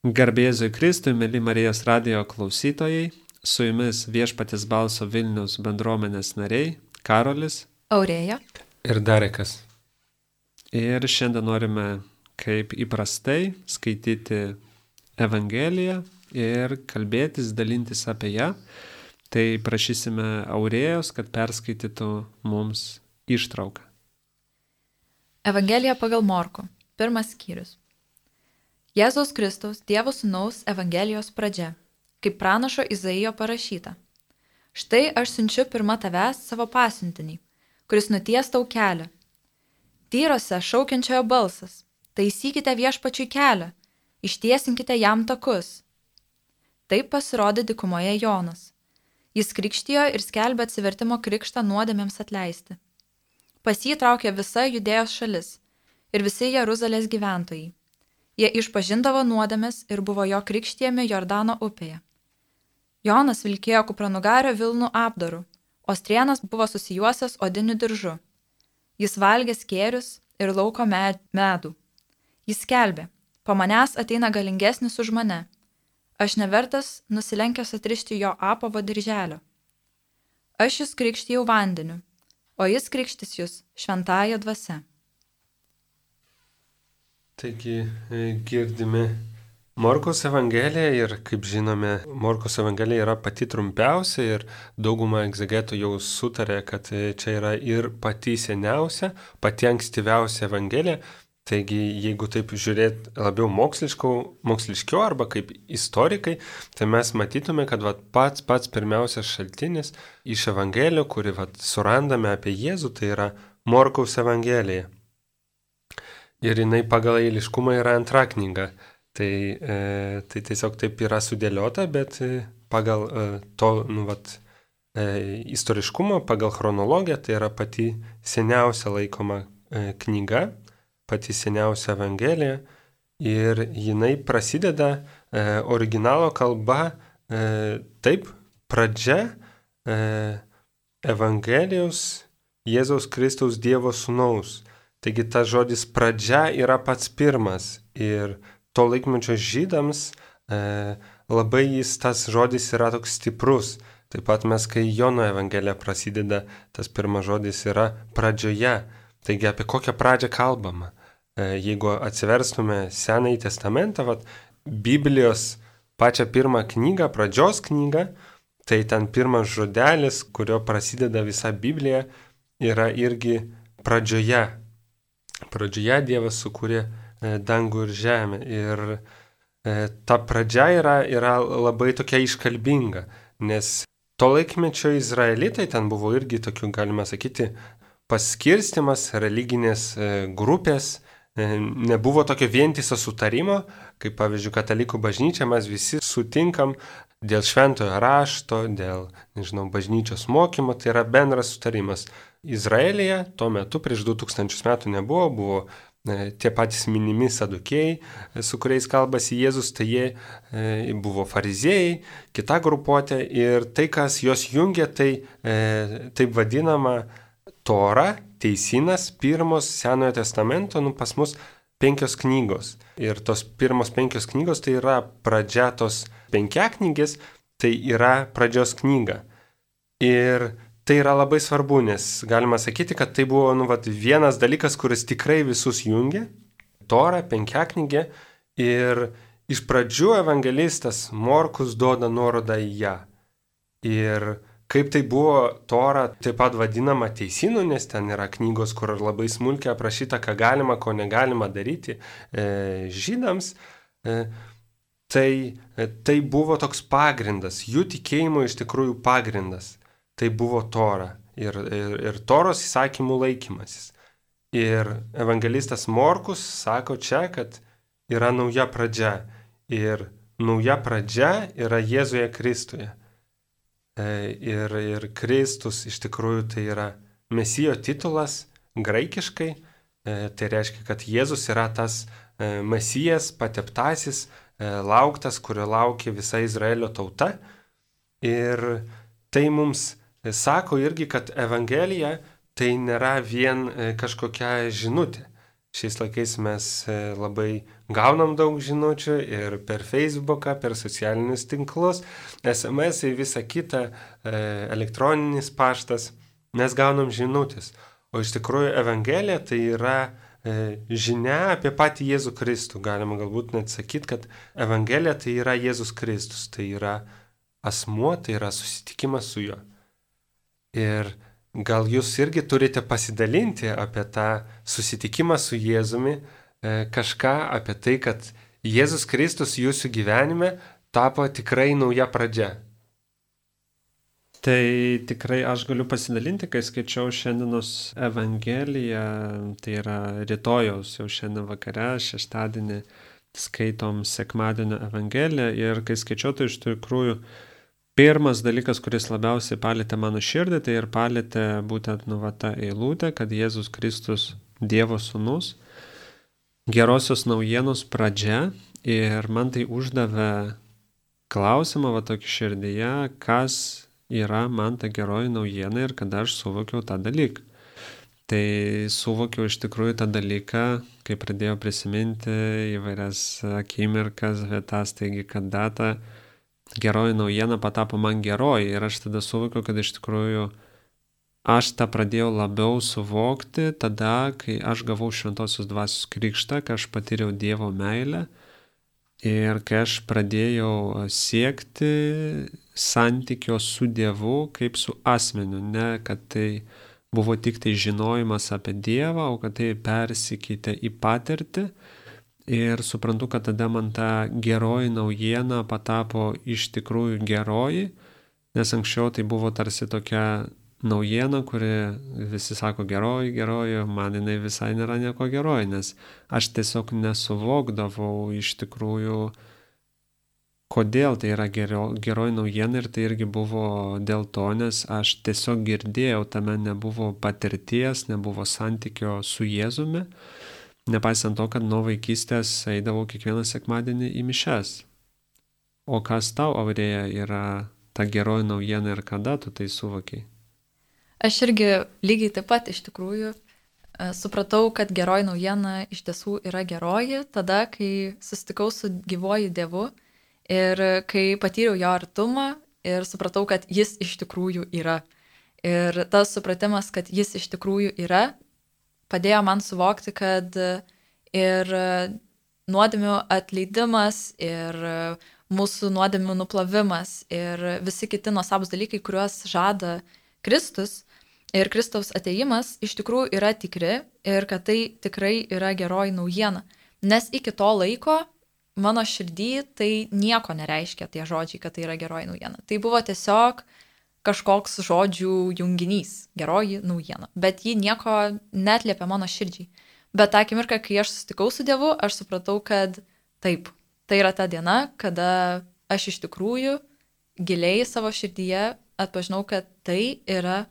Garbėzui Kristui, mėly Marijos radijo klausytojai, su jumis Viešpaties balso Vilniaus bendruomenės nariai Karolis, Aurėja ir Darekas. Ir šiandien norime, kaip įprastai, skaityti Evangeliją ir kalbėtis, dalintis apie ją. Tai prašysime Aurėjos, kad perskaitytų mums ištrauką. Evangelija pagal Morkų, 1 skyrius. Jėzaus Kristaus, Dievo Sūnaus Evangelijos pradžia, kaip pranašo Izaijo parašyta. Štai aš siunčiu pirma tavęs savo pasiuntinį, kuris nuties tau kelią. Tyrose šaukiančiojo balsas, taisykite Viešpačiui kelią, ištiesinkite jam takus. Taip pasirodė dykumoje Jonas. Jis krikštijo ir skelbė atsivertimo krikštą nuodėmėms atleisti. Pas jį traukė visa Judėjos šalis ir visi Jeruzalės gyventojai. Jie išpažindavo nuodėmes ir buvo jo krikštijami Jordano upėje. Jonas vilkėjo kupranugario vilnų apdaru, o strėnas buvo susijuosęs odiniu diržu. Jis valgė skėrius ir lauko medų. Jis skelbė, po manęs ateina galingesnis už mane. Aš nevertas nusilenkęs atrišti jo apavo dirželio. Aš jūs krikštijau vandeniu, o jis krikštis jūs šventąja dvasia. Taigi girdime Morkaus Evangeliją ir, kaip žinome, Morkaus Evangelija yra pati trumpiausia ir dauguma egzegetų jau sutarė, kad čia yra ir pati seniausia, pati ankstyviausia Evangelija. Taigi, jeigu taip žiūrėt labiau moksliškiau arba kaip istorikai, tai mes matytume, kad pats pirmiausias šaltinis iš Evangelijų, kurį surandame apie Jėzų, tai yra Morkaus Evangelija. Ir jinai pagal eiliškumą yra antra knyga. Tai tiesiog taip yra sudėliota, bet pagal istoriškumą, pagal chronologiją, tai yra pati seniausia laikoma knyga, pati seniausia Evangelija. Ir jinai prasideda originalo kalba taip, pradžia Evangelijos Jėzaus Kristaus Dievo Sūnaus. Taigi tas žodis pradžia yra pats pirmas ir to laikmečio žydams labai tas žodis yra toks stiprus. Taip pat mes, kai Jono Evangelija prasideda, tas pirmas žodis yra pradžioje. Taigi apie kokią pradžią kalbama? Jeigu atsiverstume Senąjį testamentą, Biblijos pačią pirmą knygą, pradžios knygą, tai ten pirmas žodelis, kurio prasideda visa Biblija, yra irgi pradžioje. Pradžioje Dievas sukūrė dangų ir žemę ir ta pradžia yra labai tokia iškalbinga, nes to laikmečio izraelitai ten buvo irgi tokių, galima sakyti, paskirstimas, religinės grupės, nebuvo tokio vientiso sutarimo, kaip pavyzdžiui katalikų bažnyčia, mes visi sutinkam dėl šventojo rašto, dėl, bažnyčios mokymo, tai yra bendras sutarimas. Izraelyje tuo metu prieš 2000 metų buvo tie patys minimi sadukėjai, su kuriais kalbasi Jėzus, tai jie buvo fariziejai, kita grupuotė ir tai, kas juos jungia, tai taip vadinama Tora, teisynas, pirmos Senojo testamento, pas mus 5 knygos. Ir tos pirmos 5 knygos tai yra pradžia tos 5 knygės, tai yra pradžios knyga. Ir tai yra labai svarbu, nes galima sakyti, kad tai buvo vienas dalykas, kuris tikrai visus jungia, Tora, 5 knygė, ir iš pradžių evangelistas Morkus duoda nuorodą į ją. Ir kaip tai buvo Tora taip pat vadinama teisynu, nes ten yra knygos, kur labai smulkiai aprašyta, ką galima, ko negalima daryti žydams, tai buvo toks pagrindas, jų tikėjimo iš tikrųjų pagrindas. Tai buvo Tora ir Toros įsakymų laikymasis. Ir evangelistas Morkus sako čia, kad yra nauja pradžia. Ir nauja pradžia yra Jėzuje Kristuje. Ir Kristus iš tikrųjų tai yra Mesijo titulas graikiškai. Tai reiškia, kad Jėzus yra tas Mesijas, pateptasis, lauktas, kurio laukia visa Izraelio tauta. Ir tai mums sako irgi, kad Evangelija tai nėra vien kažkokia žinutė. Šiais laikais mes labai gaunam daug žinučių ir per Facebooką, per socialinius tinklus, SMS ir visa kita, elektroninis paštas, mes gaunam žinutės. O iš tikrųjų Evangelija tai yra žinia apie patį Jėzų Kristų. Galima galbūt net sakyti, kad Evangelija tai yra Jėzus Kristus, tai yra asmuo, tai yra susitikimas su juo. Ir gal jūs irgi turite pasidalinti apie tą susitikimą su Jėzumi, kažką apie tai, kad Jėzus Kristus jūsų gyvenime tapo tikrai nauja pradžia. Tai tikrai aš galiu pasidalinti, kai skaičiau šiandienos Evangeliją, tai yra rytojaus jau šiandien vakare, šeštadienį skaitom sekmadienio Evangeliją ir kai skaičiau, tai iš tikrųjų pirmas dalykas, kuris labiausiai palėtė mano širdį, tai ir palėtė būtent ta eilutė, kad Jėzus Kristus Dievo sūnus, gerosios naujienos pradžia ir man tai uždavė klausimą tokį širdyje, kas yra man ta geroji naujiena ir kada aš suvokiau tą dalyką. Tai suvokiau iš tikrųjų tą dalyką, kai pradėjau prisiminti įvairias akimirkas, vietas, taigi kada ta geroji naujiena patapo man geroji ir aš tada suvokiau, kad iš tikrųjų aš tą pradėjau labiau suvokti tada, kai aš gavau Šventosios Dvasios krikštą, kai aš patyriau Dievo meilę ir kai aš pradėjau siekti santykio su Dievu kaip su asmeniu, ne kad tai buvo tik tai žinojimas apie Dievą, o kad tai persikeitė į patirtį. Ir suprantu, kad tada man ta geroji naujiena patapo iš tikrųjų geroji, nes anksčiau tai buvo tarsi tokia naujiena, kuri visi sako geroji, man jinai visai nėra nieko geroji, nes aš tiesiog nesuvokdavau iš tikrųjų, kodėl tai yra geroji naujiena ir tai irgi buvo dėl to, nes aš tiesiog girdėjau, tame nebuvo patirties, nebuvo santykio su Jėzumi. Nepaisant to, kad nuo vaikystės eidavau kiekvieną sekmadienį į mišias. O kas tau, Aurėja, yra ta geroji naujiena ir kada tu tai suvokiai? Aš irgi lygiai taip pat iš tikrųjų supratau, kad geroji naujiena iš tiesų yra geroji tada, kai susitikau su gyvuoju Dievu ir kai patyriau jo artumą ir supratau, kad jis iš tikrųjų yra. Ir tas supratimas, kad jis iš tikrųjų yra, padėjo man suvokti, kad ir nuodėmių atleidimas, ir mūsų nuodėmių nuplavimas, ir visi kiti nuostabūs dalykai, kuriuos žada Kristus ir Kristaus atėjimas, iš tikrųjų yra tikri ir kad tai tikrai yra geroji naujiena. Nes iki to laiko mano širdį tai nieko nereiškia tie žodžiai, kad tai yra geroji naujiena. Tai buvo tiesiog kažkoks žodžių junginys, geroji naujiena, bet ji nieko neatliepia mano širdžiai. Bet tą akimirką, kai aš susitikau su Dievu, aš supratau, kad taip, tai yra ta diena, kada aš iš tikrųjų giliai savo širdyje atpažinau, kad tai yra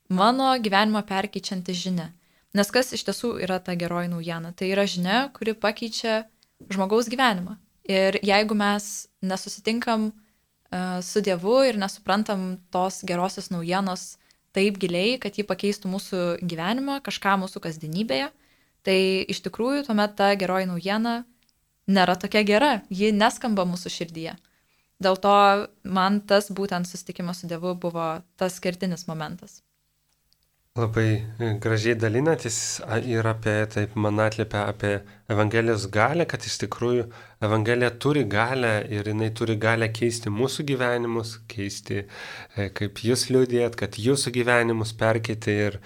mano gyvenimą perkeičianti žinia. Nes kas iš tiesų yra ta geroji naujiena? Tai yra žinia, kuri pakeičia žmogaus gyvenimą. Ir jeigu mes nesusitinkam su Dievu ir nesuprantam tos gerosios naujienos taip giliai, kad ji pakeistų mūsų gyvenimą, kažką mūsų kasdienybėje, tai iš tikrųjų tuomet ta geroji naujiena nėra tokia gera, ji neskamba mūsų širdyje. Dėl to man tas būtent susitikimas su Dievu buvo tas kertinis momentas. Labai gražiai dalinatės ir apie, taip man atliepia apie Evangelijos galę, kad iš tikrųjų Evangelija turi galę ir jinai turi galę keisti mūsų gyvenimus, keisti, kaip jūs liudijat, kad jūsų gyvenimus perkeitė ir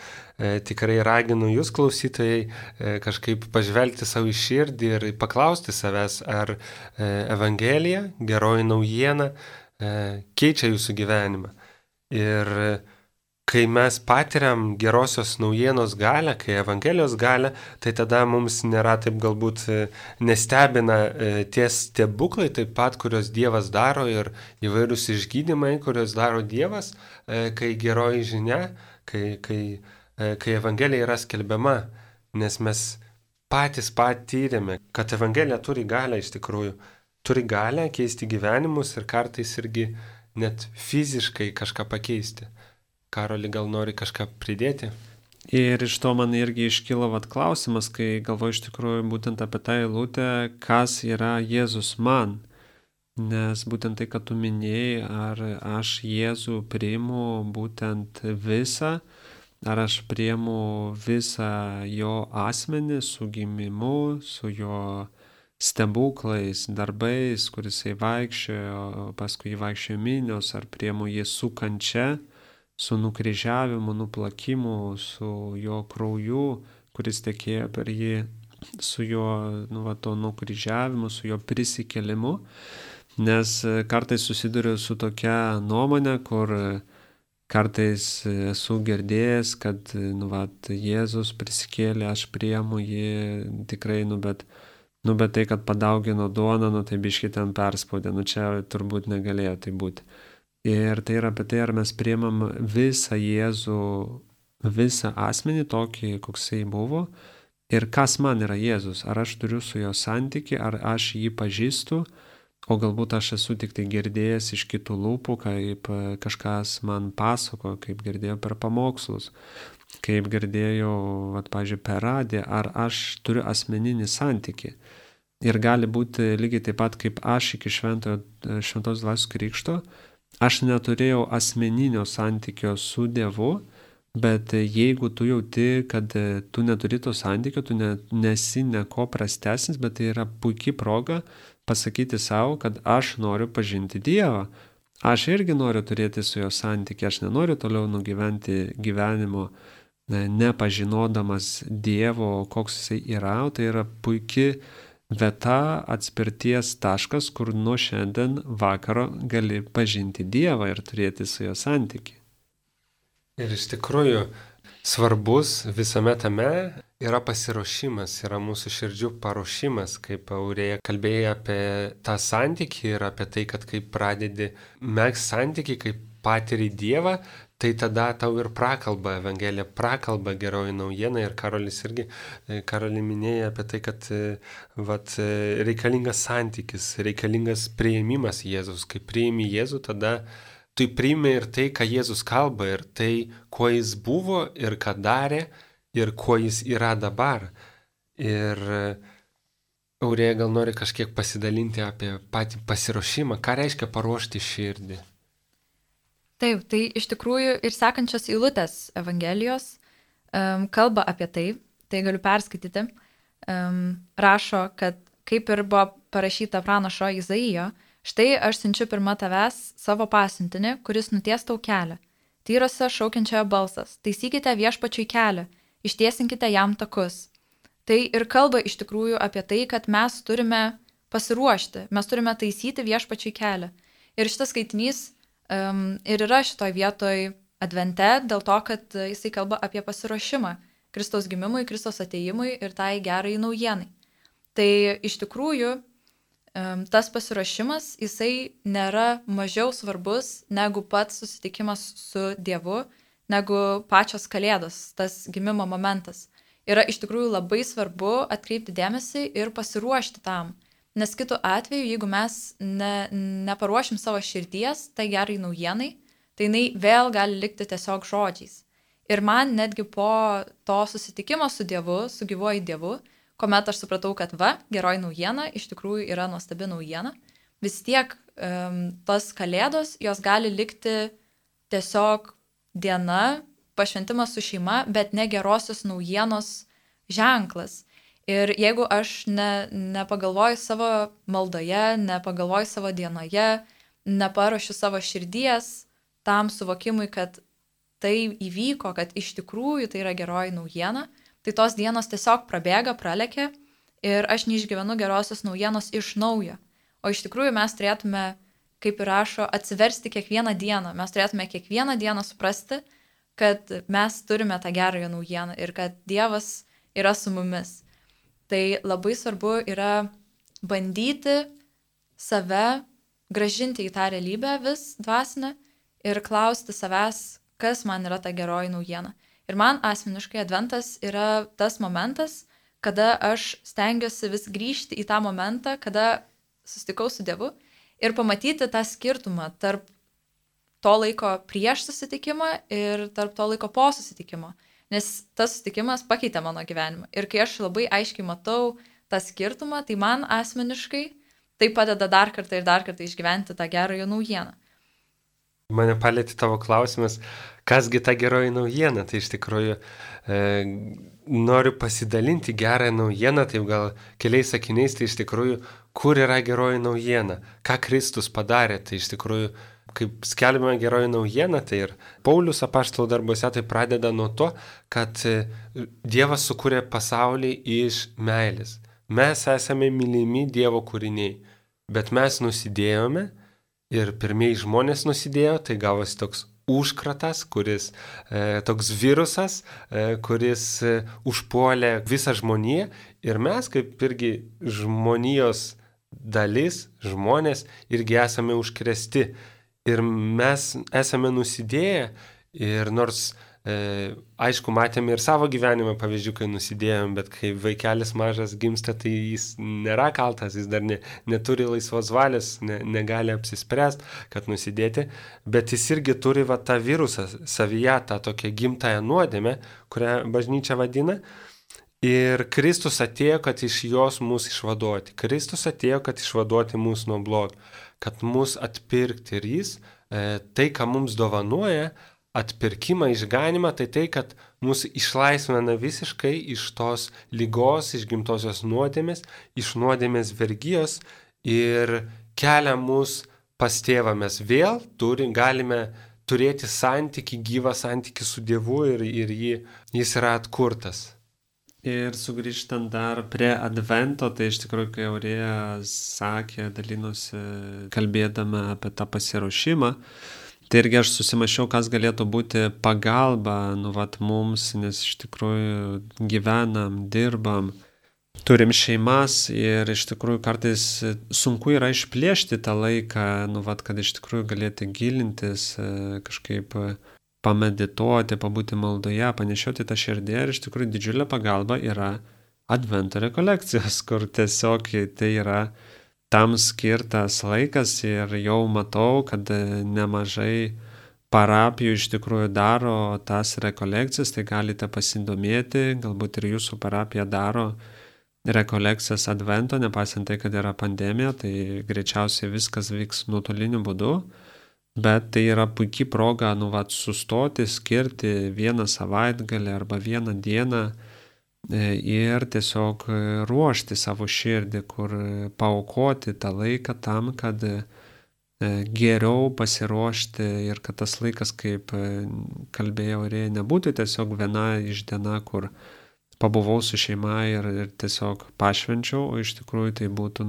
tikrai raginu jūs klausytojai kažkaip pažvelgti savo į širdį ir paklausti savęs, ar Evangelija, geroji naujiena, keičia jūsų gyvenimą. Ir kai mes patiriam gerosios naujienos galę, kai Evangelijos galę, tai tada mums nėra taip galbūt nestebina tie stebuklai taip pat, kurios Dievas daro ir įvairūs išgydymai, kurios daro Dievas, kai geroji žinia, kai Evangelija yra skelbiama, nes mes patys patyrėme, kad Evangelija turi galę iš tikrųjų, turi galę keisti gyvenimus ir kartais irgi net fiziškai kažką pakeisti. Karoli, gal nori kažką pridėti? Ir iš to man irgi iškilo klausimas, kai galvoju iš tikrųjų būtent apie tą eilutę, kas yra Jėzus man. Nes būtent tai, kad tu minėjai, ar aš Jėzų priimu būtent visą, ar aš priimu visą jo asmenį su gimimu, su jo stebuklais, darbais, kuris jisai vaikščiojo, paskui jį vaikščiojo minios, ar priimu jį su kančia, su nukryžiavimu, nuplakimu, su jo krauju, kuris tekėjo per jį, su jo to nukryžiavimu, su jo prisikėlimu. Nes kartais susiduriu su tokia nuomonė, kur kartais esu girdėjęs, kad Jėzus prisikėlė, aš priimu jį tikrai, bet tai, kad padaugino duoną, tai biškį ten perspaudė, čia turbūt negalėjo tai būti. Ir tai yra apie tai, ar mes priimam visą Jėzų, visą asmenį tokį, koksai buvo, ir kas man yra Jėzus, ar aš turiu su jo santykį, ar aš jį pažįstu, o galbūt aš esu tik tai girdėjęs iš kitų lūpų, kaip kažkas man pasako, kaip girdėjau per pamokslus, kaip girdėjau, pavyzdžiui, per radiją, ar aš turiu asmeninį santykį. Ir gali būti lygiai taip pat, kaip aš iki šventos dvasios krikšto, aš neturėjau asmeninio santykio su Dievu, bet jeigu tu jauti, kad tu neturi to santykio, tu nesi neko prastesnis, bet tai yra puikia proga pasakyti savo, kad aš noriu pažinti Dievą. Aš irgi noriu turėti su jo santykį, aš nenoriu toliau nugyventi gyvenimo nepažinodamas Dievo, koks jisai yra, tai yra puikia vieta, atspirties taškas, kur nuo šiandien vakaro gali pažinti Dievą ir turėti su jo santykį. Ir iš tikrųjų svarbus visame tame yra pasiruošimas, yra mūsų širdžių paruošimas, kaip Aurėja kalbėjo apie tą santykį ir apie tai, kad kai pradedi megzti santykį, kai patiri Dievą, tai tada tau ir prakalba Evangelija, prakalba geroji naujiena. Ir Karoli minėjo apie tai, kad reikalingas santykis, reikalingas priėmimas Jėzus. Kai priimi Jėzų, tada tu priimi ir tai, ką Jėzus kalba, ir tai, kuo jis buvo, ir ką darė, ir kuo jis yra dabar. Ir Aurėja gal nori kažkiek pasidalinti apie patį pasiruošimą, ką reiškia paruošti širdį. Taip, tai iš tikrųjų ir sekančios eilutės Evangelijos kalba apie tai galiu perskaityti. Rašo, kad kaip ir buvo parašyta pranašo Izaijo, štai aš siunčiu pirma tavęs savo pasiuntinį, kuris nuties tau kelią. Tyrose šaukiančiojo balsas, taisykite viešpačiui kelią, ištiesinkite jam takus. Tai ir kalba iš tikrųjų apie tai, kad mes turime pasiruošti, mes turime taisyti viešpačiui kelią. Ir šitas skaitinys ir yra šitoj vietoj advente, dėl to, kad jisai kalba apie pasiruošimą Kristaus gimimui, Kristaus atėjimui ir tai gerai naujienai. Tai iš tikrųjų tas pasiruošimas, jisai nėra mažiau svarbus negu pats susitikimas su Dievu, negu pačios kalėdos, tas gimimo momentas. Yra iš tikrųjų labai svarbu atkreipti dėmesį ir pasiruošti tam. Nes kitu atveju, jeigu mes neparuošim savo širdies tai gerai naujienai, tai jinai vėl gali likti tiesiog žodžiais. Ir man netgi po to susitikimo su Dievu, su gyvuoju Dievu, kuomet aš supratau, kad geroji naujiena iš tikrųjų yra nuostabi naujiena, vis tiek tos kalėdos, jos gali likti tiesiog diena, pašventimas su šeima, bet ne gerosios naujienos ženklas. Ir jeigu aš nepagalvoju savo maldoje, nepagalvoju savo dienoje, neparuošiu savo širdies tam suvokimui, kad tai įvyko, kad iš tikrųjų tai yra geroji naujiena, tai tos dienos tiesiog prabėga, pralekia ir aš neišgyvenu gerosios naujienos iš naujo. O iš tikrųjų mes turėtume, kaip ir rašo, atsiversti kiekvieną dieną. Mes turėtume kiekvieną dieną suprasti, kad mes turime tą gerąją naujieną ir kad Dievas yra su mumis. Tai labai svarbu yra bandyti save grąžinti į tą realybę vis dvasinę ir klausti savęs, kas man yra ta geroji naujiena. Ir man asmeniškai adventas yra tas momentas, kada aš stengiuosi vis grįžti į tą momentą, kada susitikau su Dievu ir pamatyti tą skirtumą tarp to laiko prieš susitikimą ir tarp to laiko po susitikimo. nes tas susitikimas pakeitė mano gyvenimą. Ir kai aš labai aiškiai matau tą skirtumą, tai man asmeniškai tai padeda dar kartą išgyventi tą gerąją naujieną. Mane palėtė tavo klausimas, kasgi ta geroji naujiena. Tai iš tikrųjų noriu pasidalinti gerąją naujieną, taip gal keliais sakiniais, tai iš tikrųjų, kur yra geroji naujiena, ką Kristus padarė. Tai iš tikrųjų, kaip skelbiama geroji naujiena, tai ir Paulius apaštalų darbuose tai pradeda nuo to, kad Dievas sukūrė pasaulį iš meilės. Mes esame mylimi Dievo kūriniai, bet mes nusidėjome. Ir pirmieji žmonės nusidėjo, tai gavosi toks užkratas, toks virusas, kuris užpuolė visą žmoniją. Ir mes, kaip irgi žmonijos dalis, žmonės, irgi esame užkrėsti. Ir mes esame nusidėję. Ir nors, aišku, matėme ir savo gyvenimą pavyzdžių, kai nusidėjom, bet kai vaikelis mažas gimsta, tai jis nėra kaltas, jis dar neturi laisvos valios, negali apsispręsti, kad nusidėti, bet jis irgi turi tą virusą savyje, tą tokią gimtąją nuodėmę, kurią bažnyčia vadina. Ir Kristus atėjo, kad iš jos mus išvaduoti. Kristus atėjo, kad išvaduoti mus nuo blogio, kad mus atpirkti. Ir jis tai, ką mums dovanuoja, atpirkimą, išganimą, tai, kad mus išlaisvina visiškai iš tos ligos, iš gimtosios nuodėmės, iš nuodėmės vergijos ir kelia mus pas tėvą. Mes vėl galime turėti santykį, gyvą santykį su Dievu ir jis yra atkurtas. Ir sugrįžtant dar prie Advento, tai iš tikrųjų, kai Aurėja sakė, dalinosi kalbėdama apie tą pasiruošimą, tai irgi aš susimašiau, kas galėtų būti pagalba mums, nes iš tikrųjų gyvenam, dirbam, turim šeimas ir iš tikrųjų kartais sunku yra išplėšti tą laiką, kad iš tikrųjų galėti gilintis, kažkaip pamedituoti, pabūti maldoje, panešioti tą širdį. Ir iš tikrųjų didžiulė pagalba yra Advento rekolekcijos, kur tiesiog tai yra tam skirtas laikas ir jau matau, kad nemažai parapijų iš tikrųjų daro tas rekolekcijas, tai galite pasidomėti, galbūt ir jūsų parapija daro rekolekcijas Advento, nepaisant tai, kad yra pandemija, tai greičiausiai viskas vyks nuotoliniu būdu, bet tai yra puikiai proga sustoti, skirti vieną savaitgalį arba vieną dieną ir tiesiog ruošti savo širdį, kur paaukoti tą laiką tam, kad geriau pasiruošti ir kad tas laikas, kaip kalbėjau, nebūtų tiesiog viena iš diena, kur pabuvau su šeima ir tiesiog pašvenčiau, o iš tikrųjų tai būtų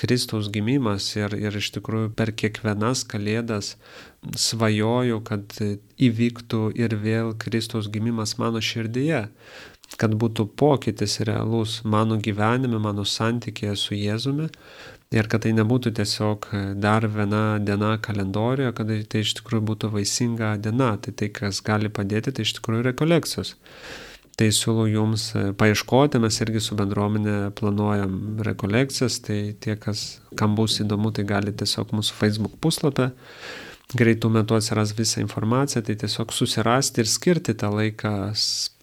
Kristaus gimimas ir iš tikrųjų per kiekvienas kalėdas svajoju, kad įvyktų ir vėl Kristaus gimimas mano širdyje, kad būtų pokytis realus mano gyvenime, mano santykėje su Jėzumi ir kad tai nebūtų tiesiog dar viena diena kalendorijoje, kad tai iš tikrųjų būtų vaisinga diena. Tai kas gali padėti, tai iš tikrųjų rekolekcijos. Tai siūlau jums paieškoti, mes irgi su bendruomenė planuojam rekolekcijas, tai tie, kam bus įdomu, tai gali tiesiog mūsų Facebook puslapį. Greitų metų atsiras visą informaciją, tai tiesiog susirasti ir skirti tą laiką,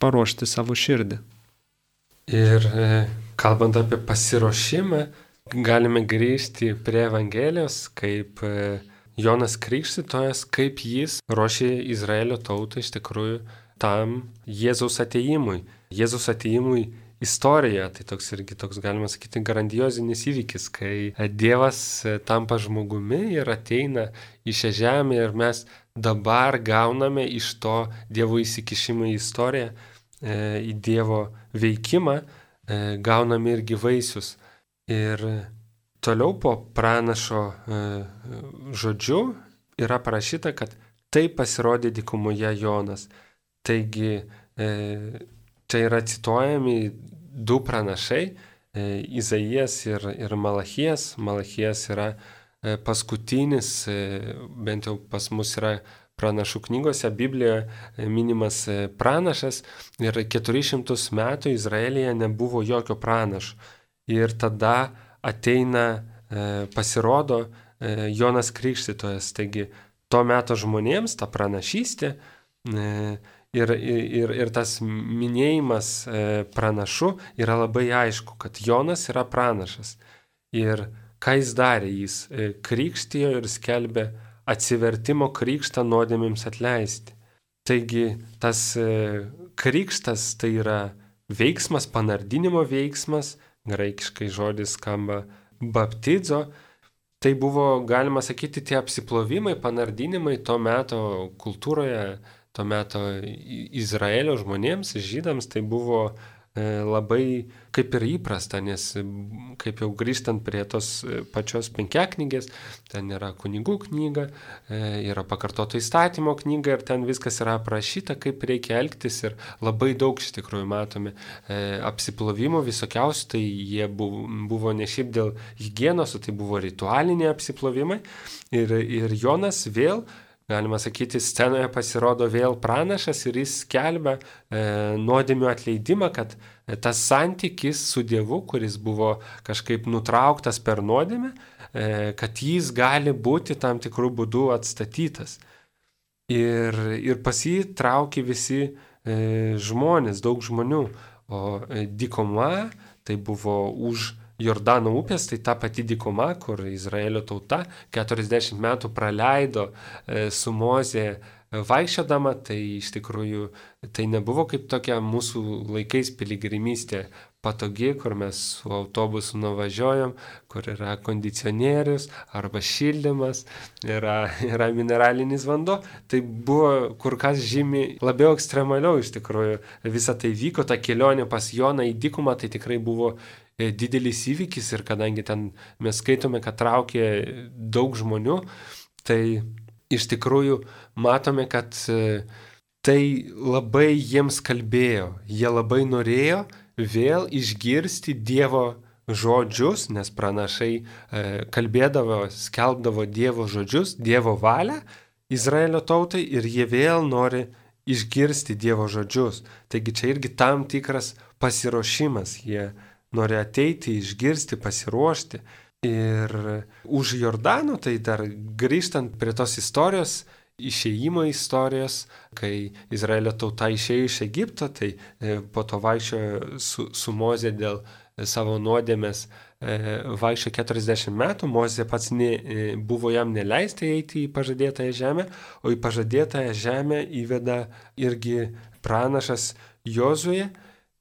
paruošti savo širdį. Ir kalbant apie pasiruošimą, galime grįžti prie Evangelijos, kaip Jonas Krikštytojas, kaip jis ruošė Izraelio tautą iš tikrųjų tam Jėzaus atėjimui. Jėzaus atėjimui istorija, tai toks galima sakyti grandiozinis įvykis, kai Dievas tampa žmogumi ir ateina į šią žemę ir mes dabar gauname iš to Dievo įsikišimą į istoriją, į Dievo veikimą, gauname irgi vaisius. Ir toliau po pranašo žodžiu yra parašyta, kad tai pasirodė dykumoje Jonas. Taigi čia yra cituojami du pranašai, Izaijas ir Malachijas. Malachijas yra paskutinis, bent jau pas mus yra pranašų knygose, Biblijoje minimas pranašas ir 400 metų Izraelyje nebuvo jokio pranašo. Ir tada ateina, pasirodo Jonas Krikštytojas. Taigi to meto žmonėms ta pranašystė Ir tas minėjimas pranašu yra labai aišku, kad Jonas yra pranašas. Ir ką jis darė? Jis krikštijo ir skelbė atsivertimo krikštą nuodėmėms atleisti. Taigi tas krikštas tai yra veiksmas, panardinimo veiksmas, graikiškai žodis skamba baptizo. Tai buvo, galima sakyti, tie apsiplovimai, panardinimai to meto kultūroje, to meto Izraelio žmonėms, žydams, tai buvo labai kaip ir įprasta, nes kaip jau grįžtant prie tos pačios penkiaknygės, ten yra kunigų knyga, yra pakartoto įstatymo knyga ir ten viskas yra aprašyta, kaip reikia elgtis ir labai daug iš tikrųjų matome apsiplovimų visokiausių, tai jie buvo ne šiaip dėl higienos, tai buvo ritualiniai apsiplovimai ir Jonas vėl, galima sakyti, scenoje pasirodo vėl pranašas ir jis skelbia nuodėmių atleidimą, kad tas santykis su Dievu, kuris buvo kažkaip nutrauktas per nuodėmę, kad jis gali būti tam tikrų būdų atstatytas. Ir pas jį traukė visi žmonės, daug žmonių, o dykuma tai buvo už Jordano upės, tai ta pati dykuma, kur Izraelio tauta 40 metų praleido su Mozė vaikščiodama, tai iš tikrųjų tai nebuvo kaip tokia mūsų laikais piligrimystė patogi, kur mes su autobusu nuvažiuojam, kur yra kondicionierius arba šildymas, yra mineralinis vanduo. Tai buvo kur kas žymiai labiau ekstremaliau iš tikrųjų. Visa tai vyko, ta kelionė pas Joną į dykumą, tai tikrai buvo didelis įvykis ir kadangi ten mes skaitome, kad traukė daug žmonių, tai iš tikrųjų matome, kad tai labai jiems kalbėjo. Jie labai norėjo vėl išgirsti Dievo žodžius, nes pranašai kalbėdavo, skelbdavo Dievo žodžius, Dievo valią Izraelio tautai ir jie vėl nori išgirsti Dievo žodžius. Taigi čia irgi tam tikras pasiruošimas. Jie nori ateiti, išgirsti, pasiruošti. Ir už Jordano, tai dar grįžtant prie tos istorijos, išėjimo istorijos, kai Izraelio tauta išėjo iš Egipto, tai po to vaikščiojo su Mozė dėl savo nuodėmės, vaikščiojo 40 metų, Mozė pats buvo jam neleista eiti į pažadėtąją žemę, o į pažadėtąją žemę įveda irgi pranašas Jozuė.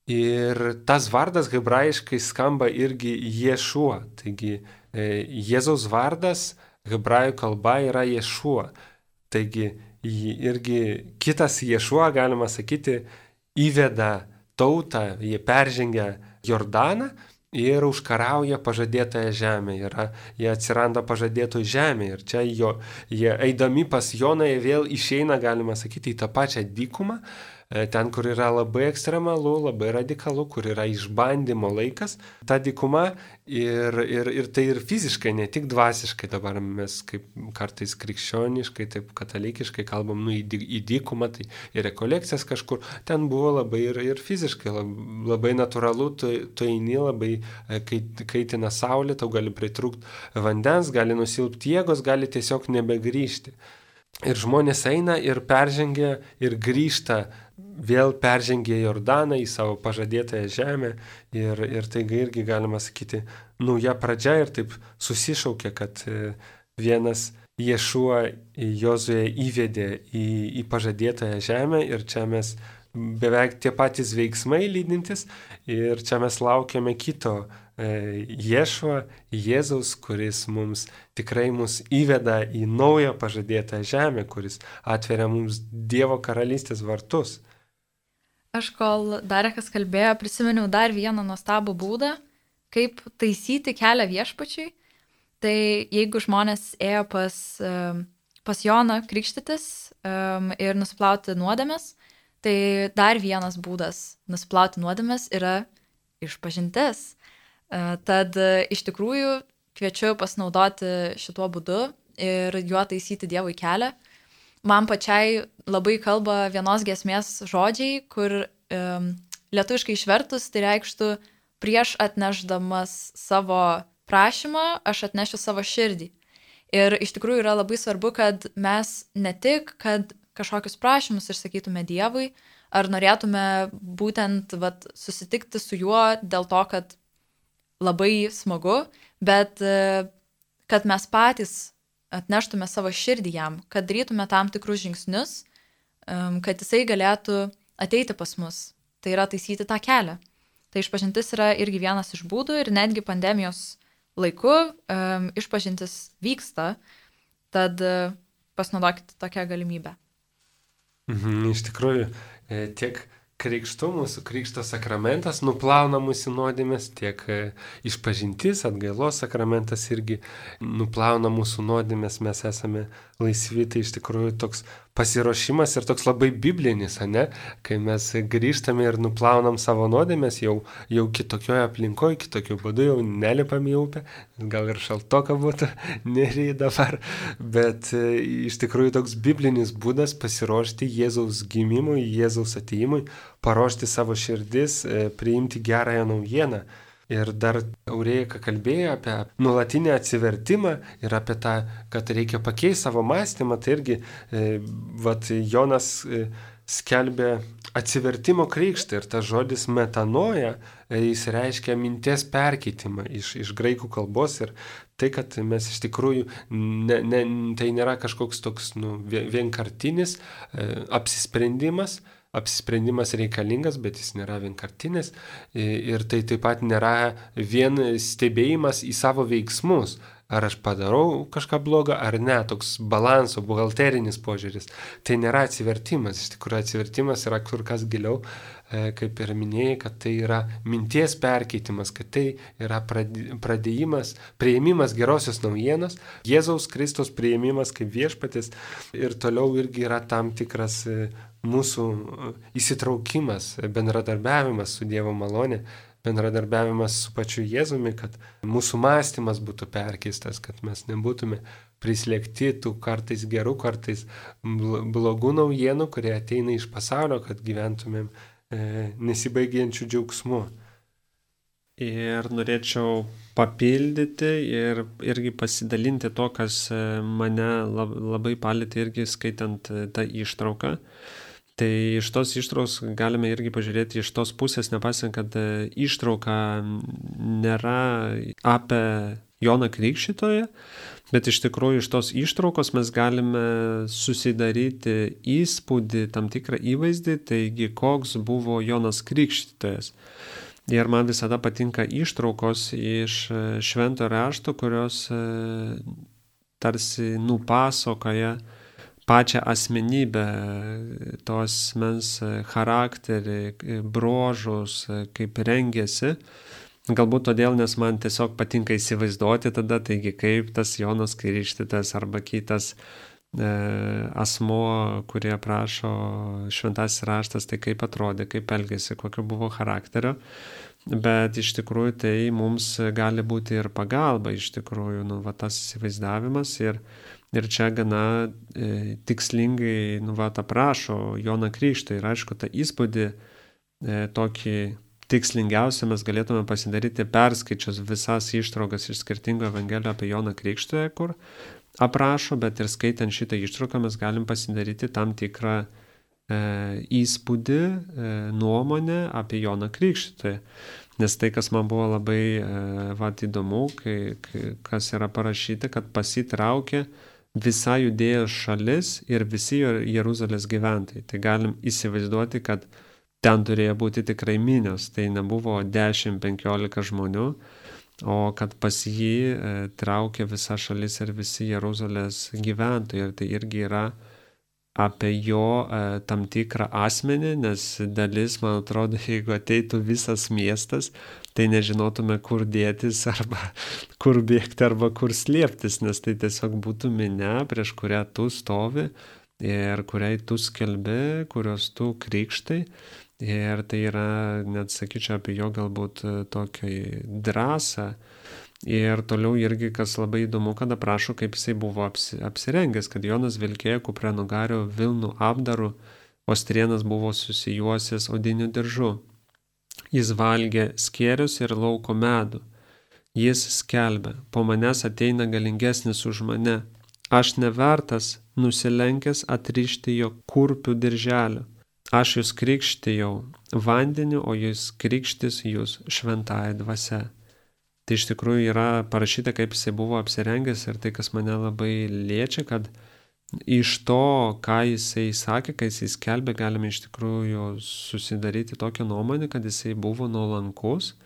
Ir tas vardas hebrajiškai skamba irgi Ješua. Taigi Jėzaus vardas hebrajų kalba yra Ješua. Taigi irgi kitas Ješua, galima sakyti, įveda tautą, jie peržengia Jordaną ir užkarauja pažadėtąją žemę. Jie atsiranda pažadėtoj žemė. Ir čia jie eidami pas Joną vėl išeina, galima sakyti, į tą pačią dykumą. Ten, kur yra labai ekstremalu, labai radikalu, kur yra išbandymo laikas, ta dykuma ir tai ir fiziškai, ne tik dvasiškai. Dabar mes kaip kartais krikščioniškai, taip katalikiškai kalbam, į dykumą, tai į rekolekcijas kažkur. Ten buvo labai ir fiziškai, labai natūralu, tu eini, labai kaitina saulė, tau gali pritrūkti vandens, gali nusilpti jėgos, gali tiesiog nebegrįžti. Ir žmonės eina ir peržengia ir grįžta, vėl peržengia Jordaną į savo pažadėtąją žemę ir taigi irgi galima sakyti nauja pradžia ir taip susišaukia, kad vienas Ješua Jozuė įvedė į pažadėtąją žemę ir čia mes beveik tie patys veiksmai lydintis ir čia mes laukiame kito Ješua, Jėzaus, kuris mums tikrai mus įveda į naują pažadėtą žemę, kuris atveria mums Dievo karalystės vartus. Aš kol Darekas kalbėjo, prisiminiau dar vieną nuostabų būdą, kaip taisyti kelią viešpačiui. Tai jeigu žmonės ėjo pas Joną krikštytis ir nusiplauti nuodėmes, tai dar vienas būdas nusiplauti nuodėmes yra išpažintis. Tad iš tikrųjų kviečiu pasinaudoti šituo būdu ir juo taisyti Dievui kelią. Man pačiai labai kalba vienos giesmės žodžiai, kur lietuviškai išvertus tai reikštų prieš atnešdamas savo prašymą, aš atnešiu savo širdį. Ir iš tikrųjų yra labai svarbu, kad mes ne tik, kad kažkokius prašymus išsakytume Dievui, ar norėtume būtent susitikti su juo dėl to, kad labai smagu, bet kad mes patys atneštume savo širdį jam, kad darytume tam tikrus žingsnius, kad jisai galėtų ateiti pas mus. Tai yra taisyti tą kelią. Tai išpažintis yra irgi vienas iš būdų ir netgi pandemijos laiku išpažintis vyksta, tad pasinaudokite tokią galimybę. Iš tikrųjų, tiek krikštų, mūsų krikšto sakramentas nuplauna mūsų nuodėmes, tiek išpažintis, atgailos sakramentas irgi nuplauna mūsų nuodėmes, mes esame laisvi, tai iš tikrųjų toks pasiruošimas ir toks labai biblinis, ne? Kai mes grįžtame ir nuplaunam savo nuodėmes, jau kitokioje aplinkoje, kitokiu būdu jau nelipam į upę, gal ir šaltoka būtų, nereikia dabar, bet iš tikrųjų toks biblinis būdas pasiruošti Jėzaus gimimui, Jėzaus atėjimui, paruošti savo širdis, priimti gerąją naujieną. Ir dar Aurėjika kalbėjo apie nuolatinį atsivertimą ir apie tą, kad reikia pakeisti savo mąstymą. Tai irgi Jonas skelbė atsivertimo krikštą ir tas žodis metanoja, jis reiškia minties perkeitimą iš graikų kalbos ir tai, kad mes iš tikrųjų, tai nėra kažkoks toks vienkartinis apsisprendimas. Apsisprendimas reikalingas, bet jis nėra vienkartinis ir tai taip pat nėra vien stebėjimas į savo veiksmus, ar aš padarau kažką blogą ar ne, toks balanso, buhalterinis požiūris. Tai nėra atsivertimas, iš tikrųjų atsivertimas yra kur kas giliau, kaip ir minėjai, kad tai yra minties perkeitimas, kad tai yra priėmimas gerosios naujienos, Jėzaus Kristaus priėmimas kaip viešpatis ir toliau irgi yra tam tikras mūsų įsitraukimas, bendradarbiavimas su Dievo malonė, bendradarbiavimas su pačiu Jėzumi, kad mūsų mąstymas būtų perkeistas, kad mes nebūtume prislėgti tų kartais gerų, kartais blogų naujienų, kurie ateina iš pasaulio, kad gyventumėm nesibaigiančių džiaugsmų. Ir norėčiau papildyti ir irgi pasidalinti to, kas mane labai palėtė irgi skaitant tą ištrauką. Tai iš tos ištraukos galime irgi pažiūrėti iš tos pusės, nepasant, kad ištrauka nėra apie Joną Krikštytoją, bet iš tikrųjų iš tos ištraukos mes galime susidaryti įspūdį, tam tikrą įvaizdį, taigi koks buvo Jonas Krikštytojas. Ir man visada patinka ištraukos iš švento rašto, kurios tarsi nupasakoja pačią asmenybę, tos asmens charakterį, bruožus, kaip rengėsi. Galbūt todėl, nes man tiesiog patinka įsivaizduoti tada, taigi kaip tas Jonas Krikštytojas arba kitas asmuo, kurie aprašo šventasis raštas, tai kaip atrodė, kaip elgėsi, kokio buvo charakterio. Bet iš tikrųjų tai mums gali būti ir pagalba, iš tikrųjų, tas įsivaizdavimas ir čia gana tikslingai aprašo Joną Krikštytoją. Ir aišku, tą įspūdį tokį tikslingiausią mes galėtume pasidaryti perskaičius visas ištraukas iš skirtingų evangelijų apie Joną Krikštytoją, kur aprašo, bet ir skaitant šitą ištrauką mes galim pasidaryti tam tikrą įspūdį, nuomonę apie Joną Krikštytoją. Nes tai, kas man buvo labai įdomu, kas yra parašyta, kad pasitraukė visa Judėjos šalis ir visi Jeruzalės gyventojai. Tai galim įsivaizduoti, kad ten turėjo būti tikrai minios. Tai nebuvo 10-15 žmonių, o kad pas jį traukė visa šalis ir visi Jeruzalės gyventojai. Ir tai irgi yra apie jo tam tikrą asmenį, nes dalis, man atrodo, jeigu ateitų visas miestas, tai nežinotume, kur dėtis, arba kur bėgti, arba kur slėptis, nes tai tiesiog būtų minia, prieš kurią tu stovi ir kuriai tu skelbi, kurios tu krikštai. Ir tai yra, net sakyčiau, apie jo galbūt tokią drąsą. Ir toliau irgi, kas labai įdomu, kad aprašo, kaip jisai buvo apsirengęs, kad Jonas vilkėjo kupranugario vilnų apdaru, o strėnas buvo susijuosęs odiniu diržu. Jis valgė skėrius ir lauko medų. Jis skelbė, po manęs ateina galingesnis už mane, aš nevertas nusilenkęs atrišti jo kurpių dirželio. Aš jūs krikštijau vandeniu, o jūs krikštis jūs šventąja dvasia. Tai iš tikrųjų yra parašyta, kaip jisai buvo apsirengęs ir tai, kas mane labai liečia, kad iš to, ką jisai sakė, kai jisai skelbė, galime iš tikrųjų susidaryti tokią nuomonę, kad jisai buvo nuolankus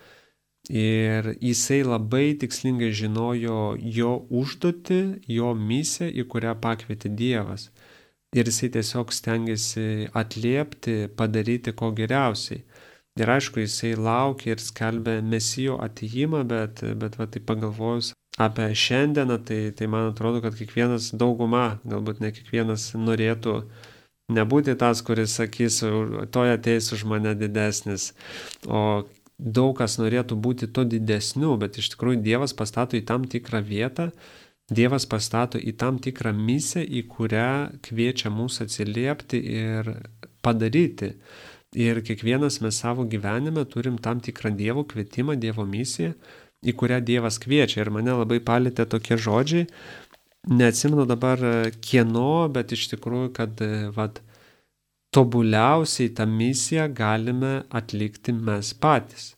ir jisai labai tikslingai žinojo jo užduotį, jo misiją, į kurią pakvietė Dievas. Ir jisai tiesiog stengiasi atliepti, padaryti ko geriausiai. Ir aišku, jisai laukia ir skelbia Mesijo atėjimą, bet va, tai pagalvojus apie šiandieną, tai man atrodo, kad kiekvienas dauguma, galbūt ne kiekvienas norėtų nebūti tas, kuris sakys, toj ateis už mane didesnis, o daug kas norėtų būti to didesniu, bet iš tikrųjų Dievas pastato į tam tikrą vietą, Dievas pastato į tam tikrą misiją, į kurią kviečia mus atsiliepti ir padaryti. Ir kiekvienas mes savo gyvenime turim tam tikrą Dievo kvietimą, Dievo misiją, į kurią Dievas kviečia. Ir mane labai palėtė tokie žodžiai, neatsimenu dabar kieno, bet iš tikrųjų, kad tobuliausiai tą misiją galime atlikti mes patys.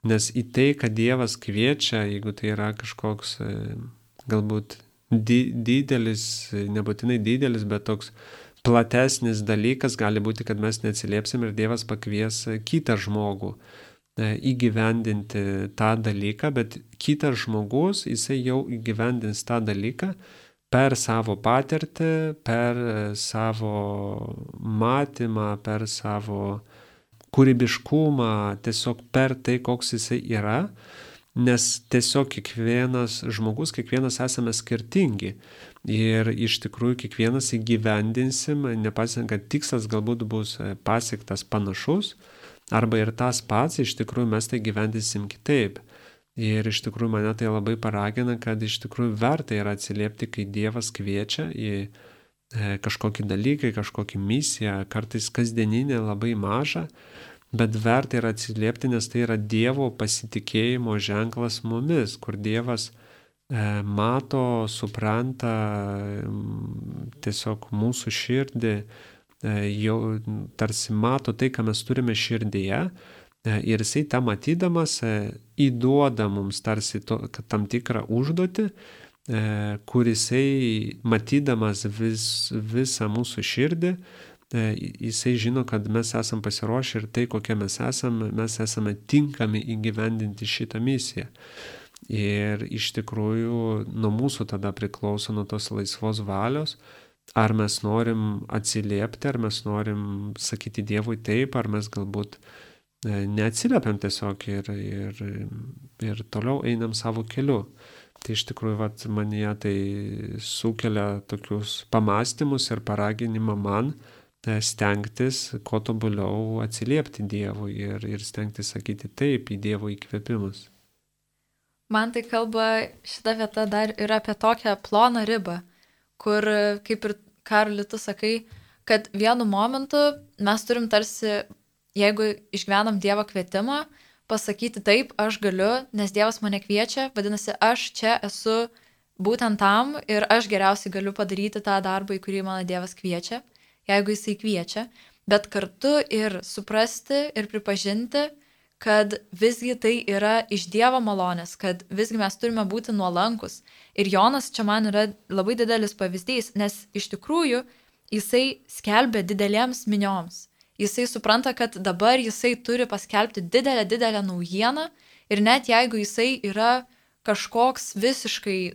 Nes į tai, kad Dievas kviečia, jeigu tai yra kažkoks galbūt didelis, nebūtinai didelis, bet toks platesnis dalykas, gali būti, kad mes neatsiliepsim ir Dievas pakvies kitą žmogų įgyvendinti tą dalyką, bet kitas žmogus, jisai jau įgyvendins tą dalyką per savo patirtį, per savo matymą, per savo kūrybiškumą, tiesiog per tai, koks jisai yra. Nes tiesiog kiekvienas žmogus, kiekvienas esame skirtingi ir iš tikrųjų kiekvienas įgyvendinsim, nepasiekant, kad tikslas galbūt bus pasiektas panašus, arba ir tas pats, iš tikrųjų mes tai gyvendinsim kitaip. Ir iš tikrųjų mane tai labai paragina, kad iš tikrųjų verta yra atsiliepti, kai Dievas kviečia į kažkokį dalyką, kažkokį misiją, kartais kasdieninę labai mažą, bet verta yra atsiliepti, nes tai yra Dievo pasitikėjimo ženklas mumis, kur Dievas mato, supranta tiesiog mūsų širdį, jau tarsi mato tai, ką mes turime širdyje, ir jisai tą matydamas įduoda mums tarsi tam tikrą užduotį, kur jisai matydamas visą mūsų širdį, jisai žino, kad mes esam pasiruošę ir tai, kokie mes esame tinkami įgyvendinti šitą misiją. Ir iš tikrųjų nuo mūsų tada priklauso, nuo tos laisvos valios, ar mes norim atsiliepti, ar mes norim sakyti Dievui taip, ar mes galbūt neatsiliepiam tiesiog ir toliau einam savo keliu. Tai iš tikrųjų manyje tai sukelia tokius pamąstymus ir paraginimą man stengtis, kuo tobuliau atsiliepti Dievui ir stengtis sakyti taip į Dievo įkvėpimus. Man tai kalba šita vieta dar yra apie tokią ploną ribą, kur, kaip ir Karoli, tu sakai, kad vienu momentu mes turim tarsi, jeigu išgyvenam Dievo kvietimą, pasakyti taip, aš galiu, nes Dievas mane kviečia, vadinasi, aš čia esu būtent tam ir aš geriausiai galiu padaryti tą darbą, į kurį mano Dievas kviečia, jeigu jisai kviečia, bet kartu ir suprasti ir pripažinti, kad visgi tai yra iš Dievo malonės, kad visgi mes turime būti nuolankus. Ir Jonas čia man yra labai didelis pavyzdys, nes iš tikrųjų jisai skelbia didelėms minioms. Jisai supranta, kad dabar jisai turi paskelbti didelę naujieną ir net jeigu jisai yra kažkoks visiškai,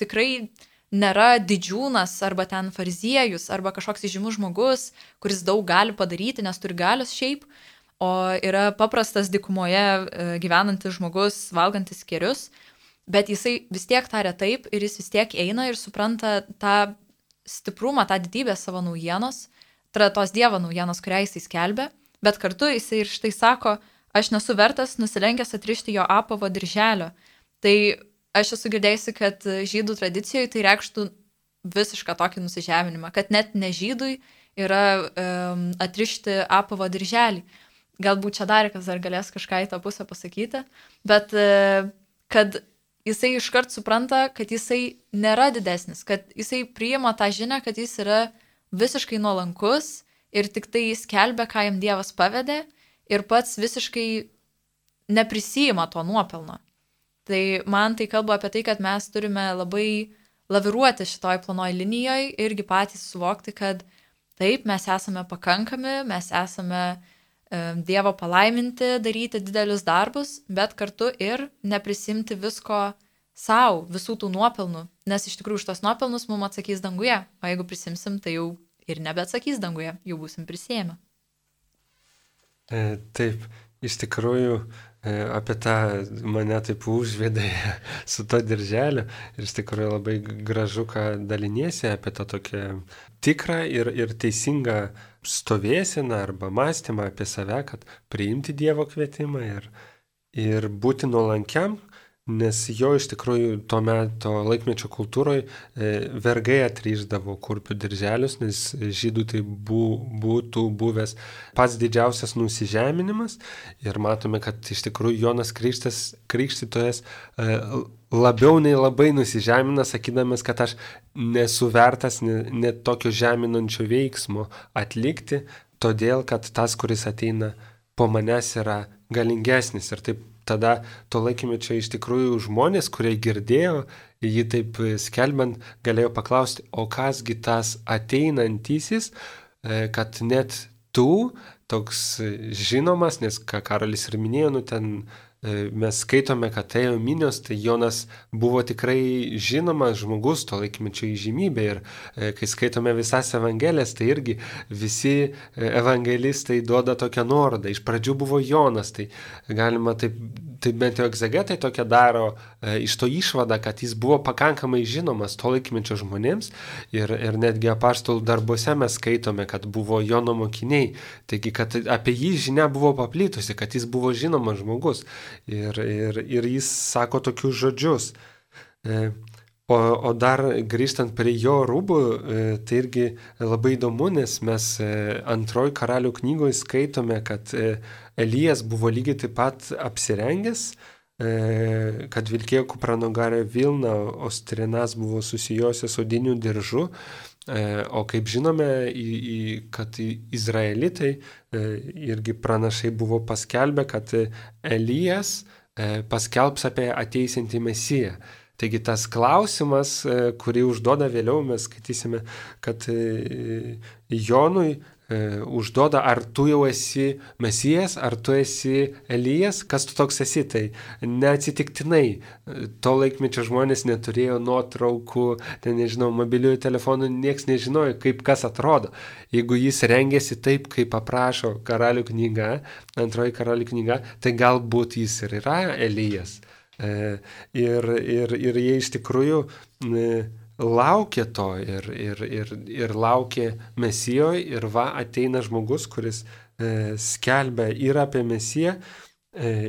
tikrai nėra didžiūnas arba ten fariziejus arba kažkoks įžymus žmogus, kuris daug gali padaryti, nes turi galios šiaip, o yra paprastas dykumoje gyvenantis žmogus, valgantis kėrius, bet jisai vis tiek taria taip ir jis vis tiek eina ir supranta tą stiprumą, tą didybę savo naujienos, tos Dievo naujienos, kurią jisai skelbia, bet kartu jisai ir štai sako, aš nesu vertas nusilenkęs atrišti jo apavo dirželio. Tai aš esu girdėjusi, kad žydų tradicijoje tai reikštų visišką tokį nusižeminimą, kad net ne žydui yra atrišti apavo dirželį. Galbūt čia dar kas dar galės kažką į tą pusę pasakyti, bet kad jisai iškart supranta, kad jisai nėra didesnis, kad jisai priima tą žinią, kad jis yra visiškai nuolankus ir tik tai skelbia, ką jam Dievas pavedė ir pats visiškai neprisijima to nuopelno. Tai man tai kalba apie tai, kad mes turime labai laviruoti šitoj planoj linijoje irgi patys suvokti, kad taip, mes esame pakankami, mes esame Dievo palaiminti, daryti didelius darbus, bet kartu ir neprisimti visko savo, visų tų nuopelnų, nes iš tikrųjų už tos nuopelnus mums atsakys danguje, o jeigu prisimsim, tai jau ir nebeatsakys danguje, jau būsim prisėmę. Taip, iš tikrųjų apie tą mane taip užvedė su to dirželiu ir iš tikrųjų labai gražu, ką daliniesi apie tą tokią tikrą ir teisingą stovėseną arba mąstymą apie save, kad priimti Dievo kvietimą ir būti nuolankiam, nes jo iš tikrųjų to meto laikmečio kultūroje vergai atrišdavo kurpių dirželius, nes žydų tai būtų buvęs pats didžiausias nusižeminimas ir matome, kad iš tikrųjų Jonas Krikštytojas labiau nei labai nusižemina, sakydamas, kad aš nesu vertas net tokio žeminančio veiksmo atlikti, todėl kad tas, kuris ateina po manęs, yra galingesnis. Ir taip tada to laikymečio iš tikrųjų žmonės, kurie girdėjo, jį taip skelbiant, galėjo paklausti, o kasgi tas ateinantysis, kad net tu toks žinomas, nes ką Karolis ir minėjo, ten mes skaitome, kad ėjo minios, tai Jonas buvo tikrai žinomas žmogus to laikmečio įžymybė ir kai skaitome visas evangelijas, tai irgi visi evangelistai duoda tokią nuorodą. Iš pradžių buvo Jonas, tai galima taip bent jau egzegetai tokia daro iš to išvadą, kad jis buvo pakankamai žinomas to laikmečio žmonėms ir netgi apaštalų darbuose mes skaitome, kad buvo Jono mokiniai, taigi kad apie jį žinia buvo paplitusi, kad jis buvo žinomas žmogus. Ir jis sako tokius žodžius. O dar grįžtant prie jo rūbų, tai irgi labai įdomu, nes mes antroji Karalių knygoje skaitome, kad Elijas buvo lygiai taip pat apsirengęs, kad vilkėjo kupranugarę vilną, o strinas buvo susijosios odiniu diržu. O kaip žinome, kad izraelitai irgi pranašai buvo paskelbę, kad Elijas paskelbs apie ateisiantį Mesiją. Taigi tas klausimas, kurį užduoda vėliau, mes skaitysime, kad Jonui užduoda, ar tu jau esi Mesijas, ar tu esi Elijas, kas tu toks esi, tai neatsitiktinai. To laikmečio žmonės neturėjo nuotraukų, nežinau, mobiliųjų telefonų, nieks nežinojo, kaip kas atrodo. Jeigu jis rengėsi taip, kaip aprašo Karalių knyga, antroji Karalių knyga, tai galbūt jis ir yra Elijas. Ir jie iš tikrųjų laukė to ir laukė Mesijoje ir ateina žmogus, kuris skelbia ir apie Mesiją,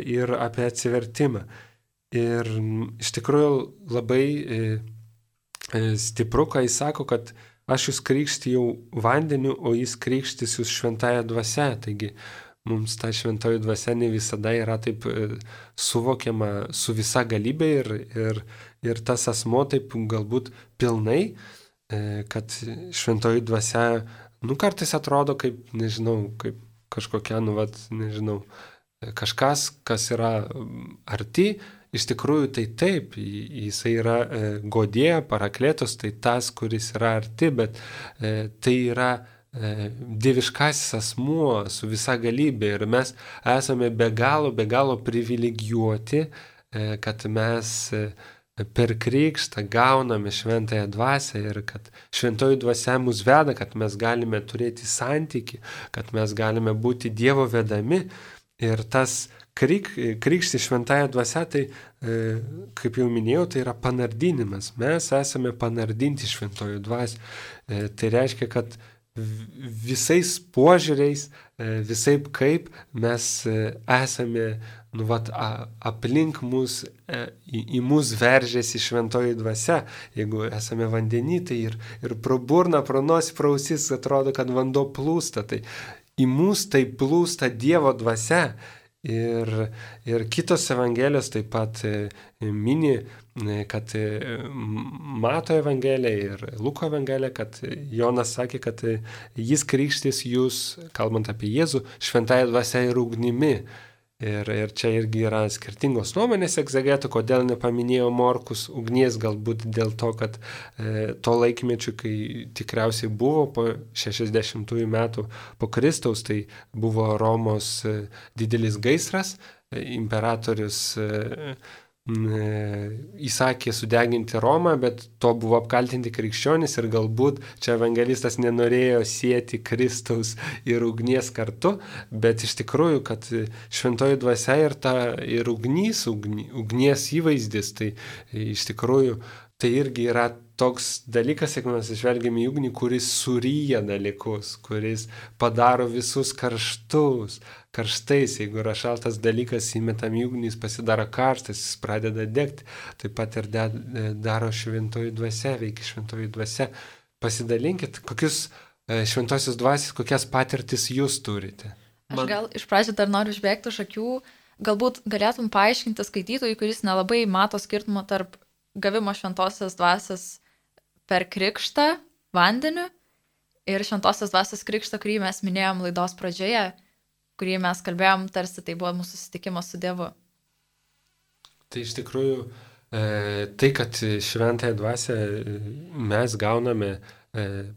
ir apie atsivertimą. Ir iš tikrųjų labai stipru, kai jis sako, kad aš jūs krikštijau vandeniu, o jis krikštys jūs šventąja dvasia. Taigi mums ta šventoji dvasia ne visada yra taip suvokiama su visa galybė ir tas asmo taip galbūt pilnai, kad šventoji dvasia, kartais atrodo kaip, nežinau, kaip kažkokia, kažkas, kas yra arti, iš tikrųjų tai taip, jisai yra godėja, parakletos, tai tas, kuris yra arti, bet tai yra dieviškasis asmuo su visa galybė ir mes esame be galo privilegijuoti, kad mes per krikštą gauname šventąją dvasią ir kad šventoji dvasia mus veda, kad mes galime turėti santykį, kad mes galime būti Dievo vedami ir tas krikšti šventąją dvasią, tai, kaip jau minėjau, tai yra panardinimas. Mes esame panardinti šventojo dvasią. Tai reiškia, kad visais požiūriais, visaip kaip mes esame, aplink mus, į mus veržėsi šventoji dvasia. Jeigu esame vandeny, tai ir pro burną, pro nosį, pro ausis atrodo, kad vanduo plūsta. Tai į mus tai plūsta Dievo dvasia Ir kitos evangelijos taip pat mini, kad Mato evangelija ir Luko evangelija, kad Jonas sakė, kad jis krikštys jūs, kalbant apie Jėzų, šventąja dvasia ir ugnimi. Ir čia irgi yra skirtingos nuomonės egzegetų, kodėl nepaminėjo Morkus ugnies, galbūt dėl to, kad to laikmečiu, kai tikriausiai buvo po 60 metų po Kristaus, tai buvo Romos didelis gaisras, imperatorius įsakė sudeginti Romą, bet to buvo apkaltinti krikščionys ir galbūt čia evangelistas nenorėjo sieti Kristaus ir ugnies kartu, bet iš tikrųjų, kad šventoji dvasia ir ugnies įvaizdis, tai iš tikrųjų tai irgi yra toks dalykas, jeigu mes žvelgiame į ugnį, kuris suryja dalykus, kuris padaro visus karštais. Jeigu yra šaltas dalykas, įmetam į ugnį, jis pasidaro karštas, jis pradeda degti. Taip pat ir daro šventoji dvasia, veikia šventoji dvasia. Pasidalinkit, kokius šventosios dvasios, kokias patirtis jūs turite. Aš gal iš pradžių dar noriu užbėgti už akių, galbūt galėtum paaiškinti skaitytojui, kuris nelabai mato skirtumą tarp gavimo šventosios dvasios per krikštą vandeniu ir šventosios dvasios krikštą, kurį mes minėjom laidos pradžioje, kurį mes kalbėjom, tarsi tai buvo mūsų susitikimas su Dievu. Tai iš tikrųjų, tai, kad šventąją dvasią mes gauname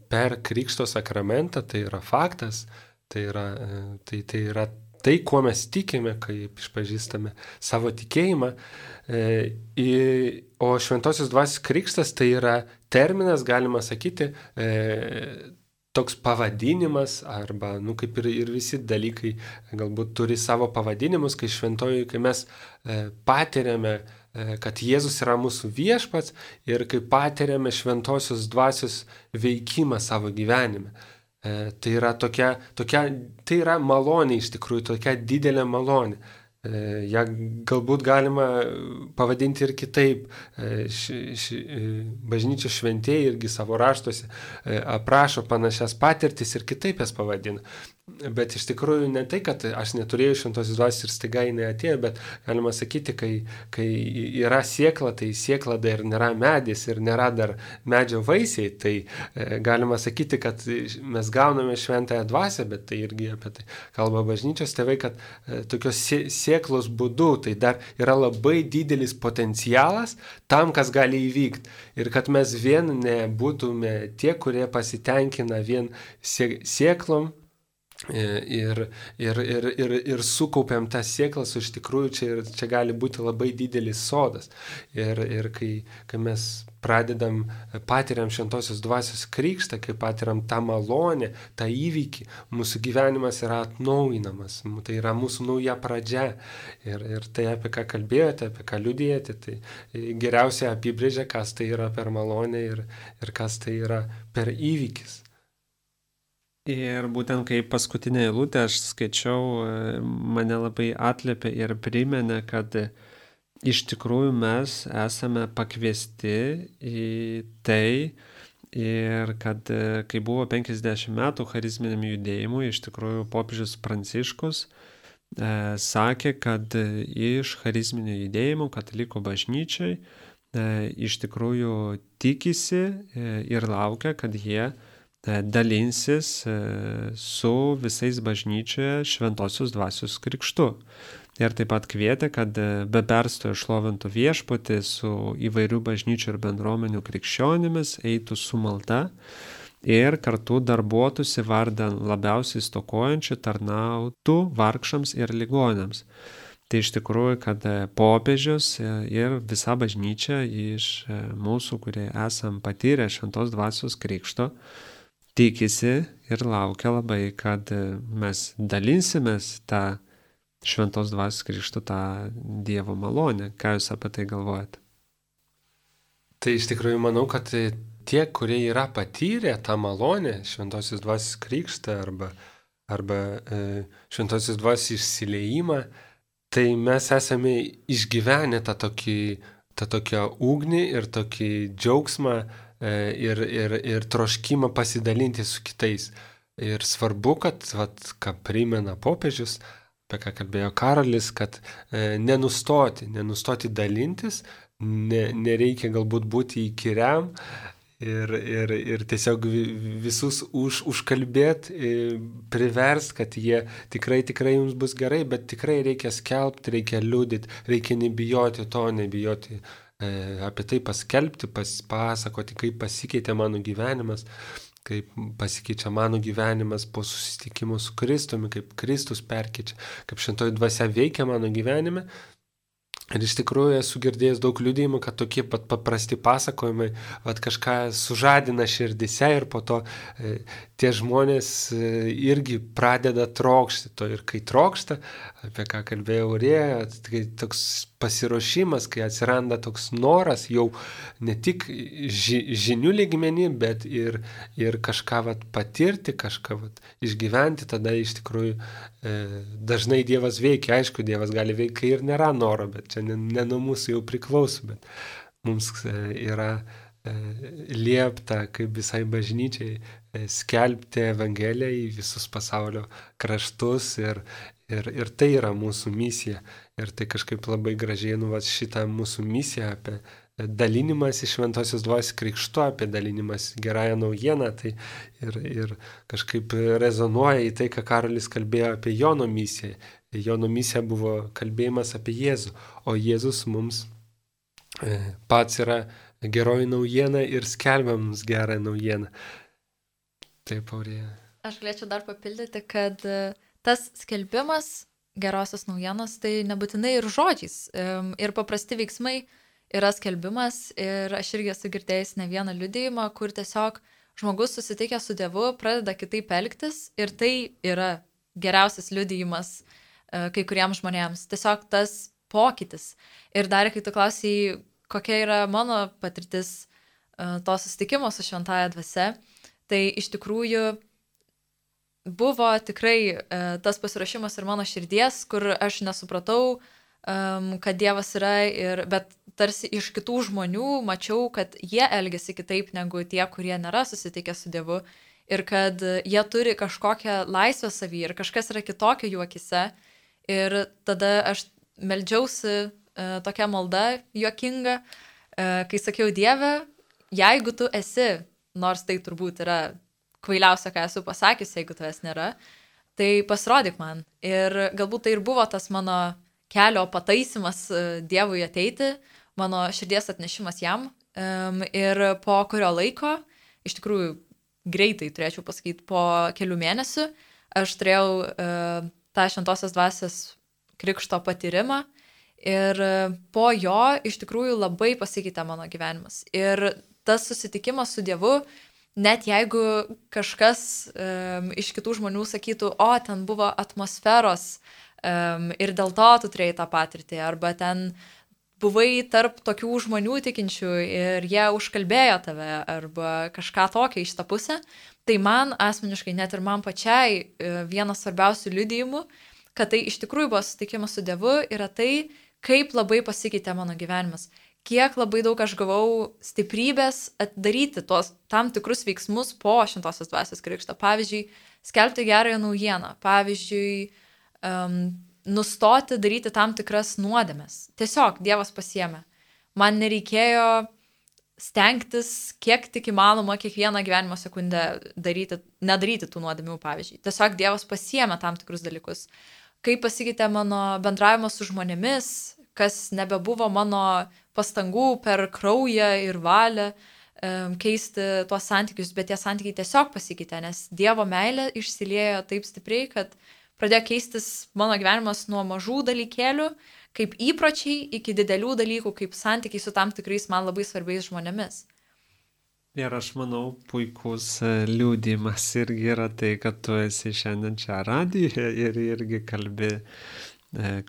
per krikšto sakramentą, tai yra faktas, tai yra tai, kuo mes tikime, kaip išpažįstame savo tikėjimą. O šventosios dvasios krikštas tai yra terminas, galima sakyti, toks pavadinimas, arba, kaip ir visi dalykai galbūt turi savo pavadinimus, kai mes patiriame, kad Jėzus yra mūsų viešpats ir kai patiriame šventosios dvasios veikimą savo gyvenime. Tai yra malonė iš tikrųjų, tokia didelė malonė. Ja galbūt galima pavadinti ir kitaip. Bažnyčios šventieji irgi savo raštuose aprašo panašias patirtis ir kitaip jas pavadina. Bet iš tikrųjų ne tai, kad aš neturėjau šventosios dvasios ir staiga jinai atėjo, bet galima sakyti, kai yra siekla, tai siekla dar nėra medis ir nėra dar medžio vaisiai, tai galima sakyti, kad mes gauname šventąją dvasią, bet tai irgi apie tai kalba bažnyčios tėvai, kad tokios sieklos būdu tai dar yra labai didelis potencialas tam, kas gali įvykti. Ir kad mes vien nebūtume tie, kurie pasitenkina vien sieklom, ir sukaupiam tas sieklas, iš tikrųjų čia gali būti labai didelis sodas. Ir kai mes patiriam šventosios dvasios krikštą, kai patiriam tą malonę, tą įvykį, mūsų gyvenimas yra atnaujinamas, tai yra mūsų nauja pradžia. Ir tai, apie ką kalbėjote, apie ką liudijate, tai geriausiai apibrėžia, kas tai yra per malonę ir kas tai yra per įvykis. Ir būtent kaip paskutinė eilutė aš skaičiau, mane labai atliepė ir priminė, kad iš tikrųjų mes esame pakviesti į tai ir kad kai buvo 50 metų charizminiam judėjimui, iš tikrųjų popiežius Pranciškus sakė, kad iš charizminio judėjimo katalikų bažnyčiai iš tikrųjų tikisi ir laukia, kad jie dalinsis su visais bažnyčioje šventosios dvasios krikštu. Ir taip pat kvietė, kad be perstojo šlovintų viešpatį su įvairių bažnyčių ir bendruomenių krikščionimis eitų su malda ir kartu darbuotųsi vardan labiausiai stokojančių, tarnautų vargšams ir ligoniams. Tai iš tikrųjų, kad popiežius ir visa bažnyčia iš mūsų, kurie esam patyrę šventos dvasios krikšto, tikisi ir laukia labai, kad mes dalinsimės tą šventos dvasios krikšto, tą Dievo malonę. Ką jūs apie tai galvojate? Tai iš tikrųjų manau, kad tie, kurie yra patyrę tą malonę, šventosios dvasios krikštą arba šventosios dvasios išsiliejimą, tai mes esame išgyvenę tą tokią ugnį ir tokį džiaugsmą, ir troškimą pasidalinti su kitais. Ir svarbu, kad, ką primena popiežius, apie ką kalbėjo Karolis, kad nenustoti dalintis, nereikia galbūt būti įkyriam ir tiesiog visus užkalbėti, priverst, kad jie tikrai jums bus gerai, bet tikrai reikia skelbti, reikia liudyti, reikia nebijoti apie tai paskelbti, pasakoti, kaip pasikeitė mano gyvenimas, kaip pasikeičia mano gyvenimas po susitikimo su Kristumi, kaip Kristus perkeičia, kaip šventoji dvasia veikia mano gyvenime. Ir iš tikrųjų esu girdėjęs daug liudijimų, kad tokie pat paprasti pasakojimai kažką sužadina širdise ir po to tie žmonės irgi pradeda trokšti to. Ir kai trokšta, apie ką kalbėjo Aurėja, tai toks pasiruošimas, kai atsiranda toks noras jau ne tik žinių lygmenį, bet ir kažką patirti, kažką išgyventi, tada iš tikrųjų dažnai Dievas veikia. Aišku, Dievas gali veikti, kai ir nėra noro, bet čia ne nuo mūsų jau priklauso, bet mums yra liepta, kaip visai bažnyčiai, skelbti Evangeliją į visus pasaulio kraštus ir tai yra mūsų misija. Ir tai kažkaip labai gražiai šitą mūsų misiją apie dalinimas iš Šventosios Dvasios krikštu, apie dalinimas gerąją naujieną, tai ir kažkaip rezonuoja į tai, ką Karolis kalbėjo apie Jono misiją. Jono misija buvo kalbėjimas apie Jėzų, o Jėzus mums pats yra geroji naujiena ir skelbia mums gerą naujieną. Taip, Aurėja. Aš galėčiau dar papildyti, kad tas skelbimas gerosios naujienos tai nebūtinai ir žodžiais, ir paprasti veiksmai yra skelbimas, ir aš irgi esu girdėjęs ne vieną liudijimą, kur tiesiog žmogus susitikęs su Dievu pradeda kitaip elgtis ir tai yra geriausias liudijimas kai kuriems žmonėms. Tiesiog tas pokytis. Ir dar, kai tu klausai, kokia yra mano patirtis to susitikimo su Šventąja Dvasia, tai iš tikrųjų buvo tikrai tas pasiruošimas ir mano širdies, kur aš nesupratau, kad Dievas yra, bet tarsi iš kitų žmonių mačiau, kad jie elgiasi kitaip negu tie, kurie nėra susitikę su Dievu ir kad jie turi kažkokią laisvę savyje ir kažkas yra kitokio jų akise. Ir tada aš meldžiausi tokia malda juokinga, kai sakiau, Dieve, jeigu tu esi, nors tai turbūt yra kvailiausia, ką esu pasakęs, jeigu tavęs nėra, tai pasirodyk man. Ir galbūt tai ir buvo tas mano kelio pataisimas Dievui ateiti, mano širdies atnešimas jam. Ir po kurio laiko, iš tikrųjų greitai turėčiau pasakyti, po kelių mėnesių, aš turėjau tą Šventosios Dvasios krikšto patyrimą ir po jo iš tikrųjų labai pasikeitė mano gyvenimas. Ir tas susitikimas su Dievu, net jeigu kažkas iš kitų žmonių sakytų, o ten buvo atmosferos ir dėl to tu turėjai tą patirtį, arba ten buvai tarp tokių žmonių tikinčių ir jie užkalbėjo tave, arba kažką tokio iš tą pusę, tai man asmeniškai, net ir man pačiai, vienas svarbiausių liudijimų, kad tai iš tikrųjų buvo susitikimas su Dievu, yra tai, kaip labai pasikeitė mano gyvenimas. Kiek labai daug aš gavau stiprybės daryti tuos tam tikrus veiksmus po Šventosios Dvasios krikšto. Pavyzdžiui, skelbti gerąją naujieną. Pavyzdžiui, nustoti daryti tam tikras nuodėmes. Tiesiog Dievas pasiėmė. Man nereikėjo stengtis, kiek tik įmanoma, kiekvieną gyvenimo sekundę nedaryti tų nuodėmių, pavyzdžiui. Tiesiog Dievas pasiėmė tam tikrus dalykus. Kaip pasikeitė mano bendravimas su žmonėmis, kas nebebuvo mano pastangų per kraują ir valią keisti tuos santykius, bet tie santykiai tiesiog pasikeitė, nes Dievo meilė išsiliejo taip stipriai, kad pradėjo keistis mano gyvenimas nuo mažų dalykėlių, kaip įpročiai, iki didelių dalykų, kaip santykiai su tam tikrais man labai svarbiais žmonėmis. Ir aš manau, puikus liudijimas irgi yra tai, kad tu esi šiandien čia radijoje ir irgi kalbi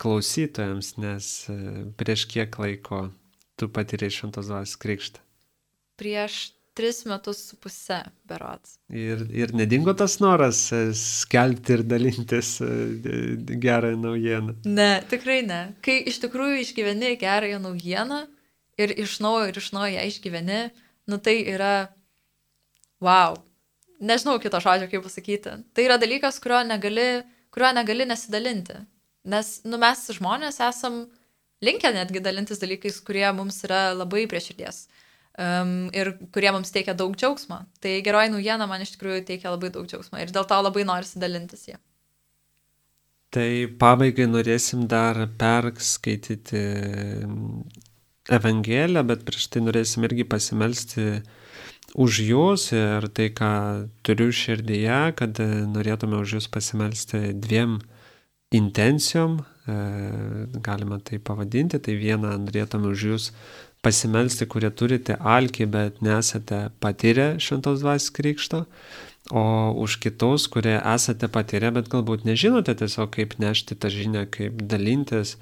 klausytojams, nes prieš kiek laiko tu patyrei Šventos Dvasios krikštą? Prieš 3,5 metus berods. Ir nedingo tas noras skelbti ir dalintis gerąją naujieną? Ne, tikrai ne. Kai iš tikrųjų išgyveni gerąją naujieną ir iš naujo ją išgyveni, tai yra wow. Nežinau kito žodžio, kaip pasakyti. Tai yra dalykas, kurio negali nesidalinti. Nes mes žmonės esam linkę netgi dalintis dalykais, kurie mums yra labai prie širdies ir kurie mums teikia daug džiaugsmo. Tai geroji naujiena man iš tikrųjų teikia labai daug džiaugsmo ir dėl to labai norisi dalintis jie. Tai pabaigai norėsim dar perskaityti Evangeliją, bet prieš tai norėsim irgi pasimelsti už jūs ir tai, ką turiu širdyje, kad norėtume už jūs pasimelsti 2 intencijom, galima tai pavadinti. Tai vieną norėtume už jūs pasimelsti, kurie turite alkį, bet nesate patyrę Šventos Dvasios krikšto, o už kitus, kurie esate patyrę, bet galbūt nežinote tiesiog, kaip nešti tą žinią, kaip dalintis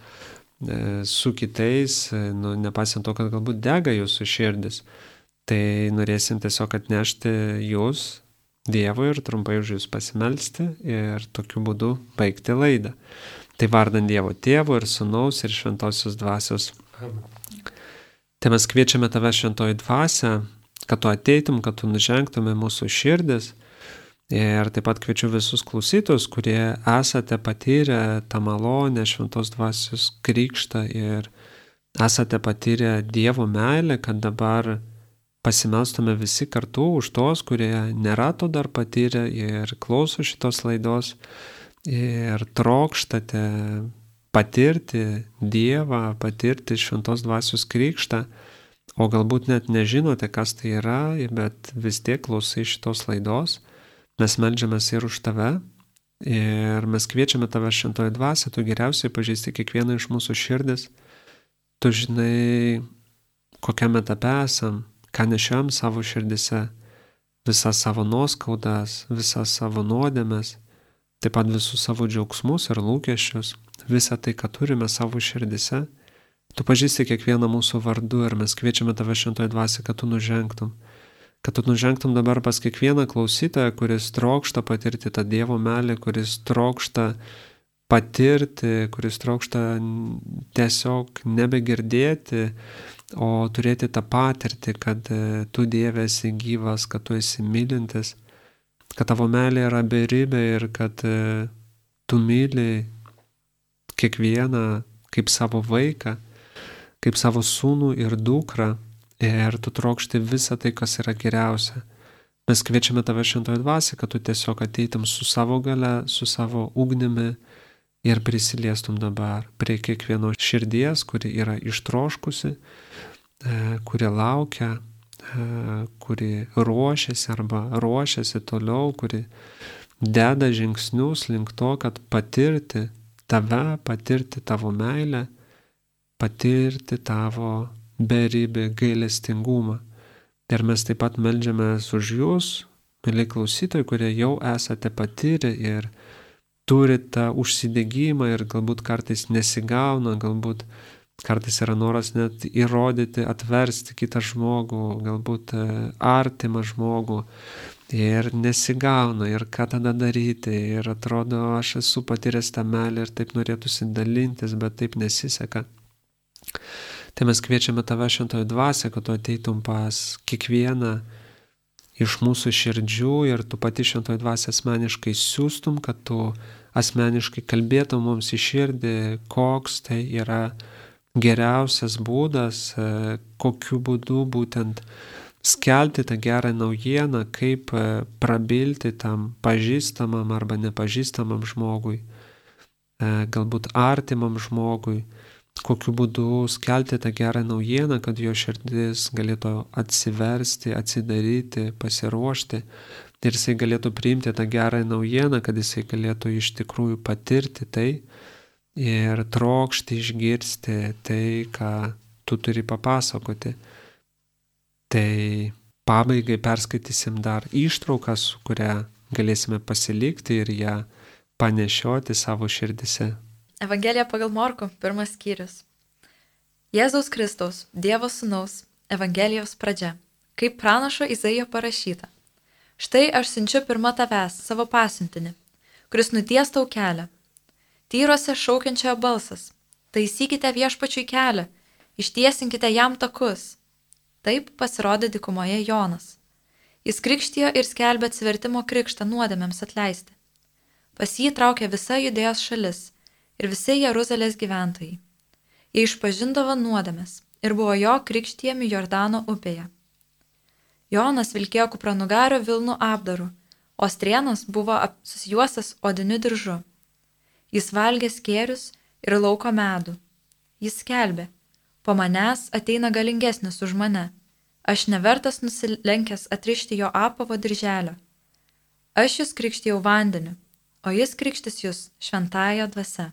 su kitais, nepasiant to, kad galbūt dega jūsų širdis. Tai norėsim tiesiog atnešti jūs Dievui ir trumpai už jūs pasimelsti ir tokiu būdu baigti laidą. Tai vardant Dievo Tėvo ir Sūnaus ir Šventosios Dvasios. Tai mes kviečiame tave, Šventoji Dvasia, kad tu ateitum, kad tu nužengtum į mūsų širdis. Ir taip pat kviečiu visus klausytojus, kurie esate patyrę tą malonę Šventos Dvasios krikštą ir esate patyrę Dievo meilę, kad dabar pasimelstume visi kartu už tos, kurie nėra to dar patyrę ir klauso šitos laidos ir trokštate patirti Dievą, patirti Šventos Dvasios krikštą, o galbūt net nežinote, kas tai yra, bet vis tiek klausai šitos laidos. Mes meldžiamės ir už tave ir mes kviečiame tave, Šventoji Dvasia, tu geriausiai pažįsti kiekvieną iš mūsų širdis, tu žinai, kokiame etape esam, ką nešiam savo širdise, visas savo nuoskaudas, visas savo nuodėmes, taip pat visus savo džiaugsmus ir lūkesčius, visą tai, ką turime savo širdise. Tu pažįsti kiekvieną mūsų vardu ir mes kviečiame tave, Šventoji Dvasia, kad tu nužengtum dabar pas kiekvieną klausytoją, kuris trokšta patirti tą Dievo meilę, kuris trokšta patirti, kuris trokšta tiesiog nebegirdėti, o turėti tą patirtį, kad tu, Dieve, esi gyvas, kad tu esi mylintis, kad tavo meilė yra beribė ir kad tu myli kiekvieną kaip savo vaiką, kaip savo sūnų ir dukrą ir tu trokšti visą tai, kas yra geriausia. Mes kviečiame tave, Šventoji Dvasia, kad tu tiesiog ateitum su savo gale, su savo ugnimi ir prisiliestum dabar prie kiekvieno širdies, kuri yra ištroškusi, kuri laukia, kuri ruošiasi arba ruošiasi toliau, kuri deda žingsnius link to, kad patirti tave, patirti tavo meilę, patirti tavo beribį gailestingumą. Ir mes taip pat meldžiamės už jūs, mieli klausytojai, kurie jau esate patyrę ir turite tą užsidegimą ir galbūt kartais nesigauna, galbūt kartais yra noras net įrodyti, atversti kitą žmogų, galbūt artimą žmogų ir nesigauna ir ką tada daryti ir atrodo, aš esu patyręs tą meilę ir taip norėtųsi dalintis, bet taip nesiseka. Tai mes kviečiame tave, Šventoji Dvasia, kad tu ateitum pas kiekvieną iš mūsų širdžių ir tu pati, Šventoji Dvasia, asmeniškai siūstum, kad tu asmeniškai kalbėtum mums į širdį, koks tai yra geriausias būdas, kokiu būdu būtent skelbti tą gerą naujieną, kaip prabilti tam pažįstamam arba nepažįstamam žmogui, galbūt artimam žmogui, kokiu būdu skelbti tą gerą naujieną, kad jo širdis galėtų atsiversti, atsidaryti, pasiruošti ir jisai galėtų priimti tą gerą naujieną, kad jisai galėtų iš tikrųjų patirti tai ir trokšti išgirsti tai, ką tu turi papasakoti. Tai pabaigai perskaitysim dar ištrauką, su kuria galėsime pasilikti ir ją panešioti savo širdise. Evangelija pagal Morkų, 1 skyrius. Jėzaus Kristaus, Dievo Sūnaus, Evangelijos pradžia, kaip pranašo Izaijo parašyta. Štai aš siunčiu pirma tavęs savo pasiuntinį, kuris nuties tau kelią. Tyruose šaukiančiojo balsas, taisykite viešpačiui kelią, ištiesinkite jam takus. Taip pasirodė dykumoje Jonas. Jis krikštijo ir skelbė atsivertimo krikštą nuodėmėms atleisti. Pas jį traukė visa Judėjos šalis ir visi Jeruzalės gyventojai. Jie išpažindavo nuodėmes ir buvo jo krikštijami Jordano upėje. Jonas vilkėjo kupranugario vilnų apdaru, o Strienas buvo susijuostas odiniu diržu. Jis valgė skėrius ir lauko medų. Jis skelbė: po manęs ateina galingesnis už mane, aš nevertas nusilenkęs atrišti jo apavo dirželio. Aš jūs krikštijau vandeniu, o jis krikštis jūs šventąja dvasia.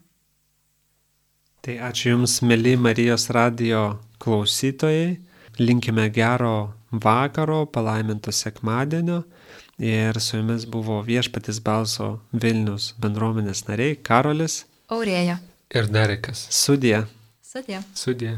Tai ačiū Jums, mėly Marijos radijo klausytojai. Linkime gero vakaro, palaiminto sekmadienio. Ir su Jumis buvo Viešpaties balso Vilnius bendruomenės nariai Karolis, Aurėja. Ir Derekas. Sudie. Sudie. Sudie.